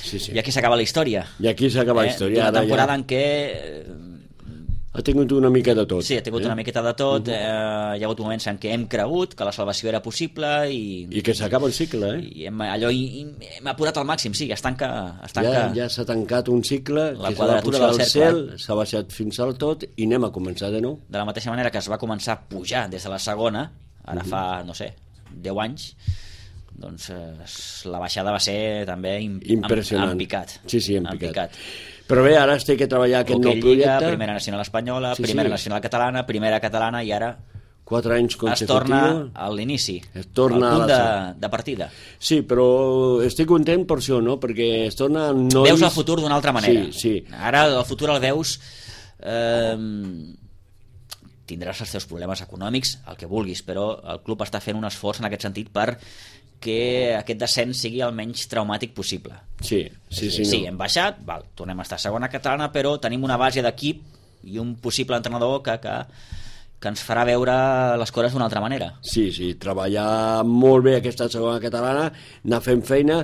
Sí, sí. I aquí s'acaba la història. I aquí s'acaba la història. Una temporada en què ha tingut una mica de tot. Sí, ha tingut una miqueta de tot. Hi ha hagut moments en què hem cregut que la salvació era possible i que s'acaba el cicle, i hem apurat al màxim, sí, es tanca. Ja s'ha tancat un cicle, la que s'ha de quadratura pujar del al cercle. cel, s'ha baixat fins al tot i anem a començar de nou. De la mateixa manera que es va començar a pujar des de la segona, ara fa, no sé, 10 anys, doncs la baixada va ser també impressionant. en picat. Sí, en picat. Però bé, ara es té que treballar aquest nou projecte. Primera nacional espanyola, primera nacional catalana, primera catalana, i ara 4 anys consecutius. Es torna a l'inici, al punt de partida. Sí, però estic content per això, no? Perquè es torna... Veus el futur d'una altra manera. Sí. Ara el futur el veus... Tindràs els teus problemes econòmics, el que vulguis, però el club està fent un esforç en aquest sentit per que aquest descens sigui el menys traumàtic possible. Sí, hem baixat, tornem a estar a segona catalana, però tenim una base d'equip i un possible entrenador que ens farà veure les coses d'una altra manera. Sí, treballar molt bé aquesta segona catalana, anar fent feina,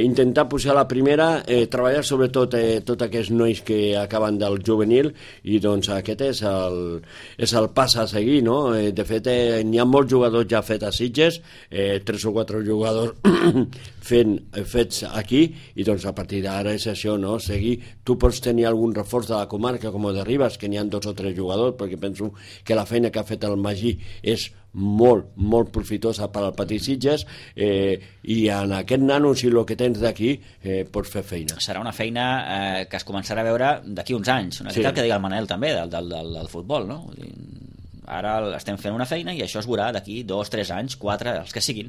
intentar pujar la primera, treballar sobretot tots aquests nois que acaben del juvenil, i doncs aquest és el pas a seguir, no? De fet, n'hi ha molts jugadors ja fets a Sitges, 3 o 4 jugadors fets aquí, i doncs a partir d'ara és això, no? Seguir. Tu pots tenir algun reforç de la comarca com el de Ribes, que n'hi ha 2 o 3 jugadors, perquè penso que la feina que ha fet el Magí és molt, molt profitosa per al Petit Sitges, i en aquest nano, si el que tens d'aquí, pots fer feina. Serà una feina que es començarà a veure d'aquí uns anys, una mica el que deia el Manel també del futbol, no? Ara estem fent una feina i això es veurà d'aquí 2, 3 anys, 4, els que siguin.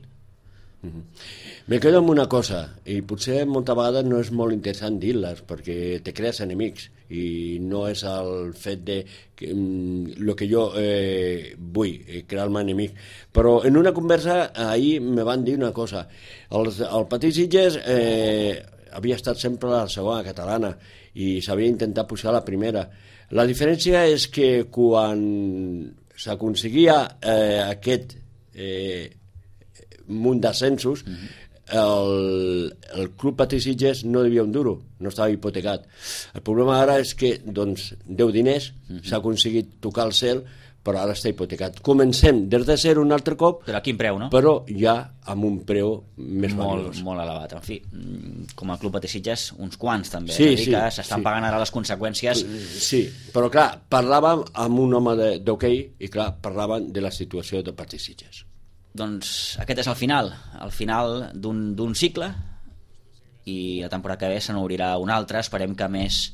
Me quedo amb una cosa, i potser moltes vegades no és molt interessant dir-les, perquè te crees enemics, i no és el fet de el que jo vull, crear-me enemic. Però en una conversa ahir me van dir una cosa. El Petit Sitges havia estat sempre a la segona catalana i s'havia intentat pujar a la primera. La diferència és que quan s'aconseguia aquest munt d'ascensos, el club Petit Sitges no devia un duro, no estava hipotecat. El problema ara és que doncs, deu diners, s'ha aconseguit tocar el cel, però ara està hipotecat. Comencem des de zero un altre cop, però a quin preu, no? Però ja amb un preu més valuós. Molt elevat. En fi, com a club Petit Sitges, uns quants també. Sí, és a dir, que s'estan pagant ara les conseqüències. Sí, però clar, parlàvem amb un home d'hoquei i clar, parlàvem de la situació de Petit Sitges. Doncs aquest és el final d'un cicle, i la temporada que ve se n'obrirà un altre, esperem que més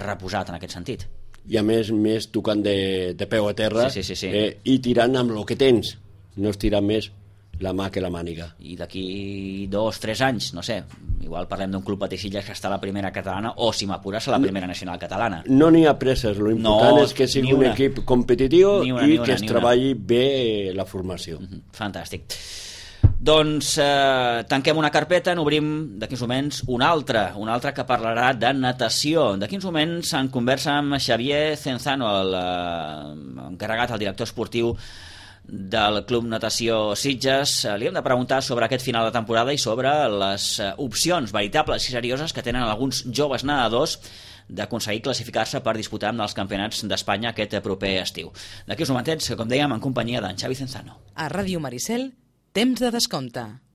reposat en aquest sentit. I a més tocant de peu a terra, sí. I tirant amb el que tens, no es tira més la mà que la màniga. I d'aquí 2 o 3 anys, no sé, igual parlem d'un club Petit Sitges que està a la primera catalana, o si m'apures a la primera nacional catalana. No n'hi ha presses, l'important és que sigui un equip competitiu i que es treballi bé la formació. Fantàstic. Doncs tanquem una carpeta, n'obrim d'aquí uns moments una altra que parlarà de natació. D'aquí uns moments en conversa amb Xavier Cenzano, l'encarregat, el director esportiu del Club Natació Sitges. Li hem de preguntar sobre aquest final de temporada i sobre les opcions veritables i serioses que tenen alguns joves nedadors d'aconseguir classificar-se per disputar amb els campionats d'Espanya aquest proper estiu. D'aquí uns momentets, com dèiem, en companyia d'en Xavi Cenzano. A Ràdio Maricel, temps de descompte.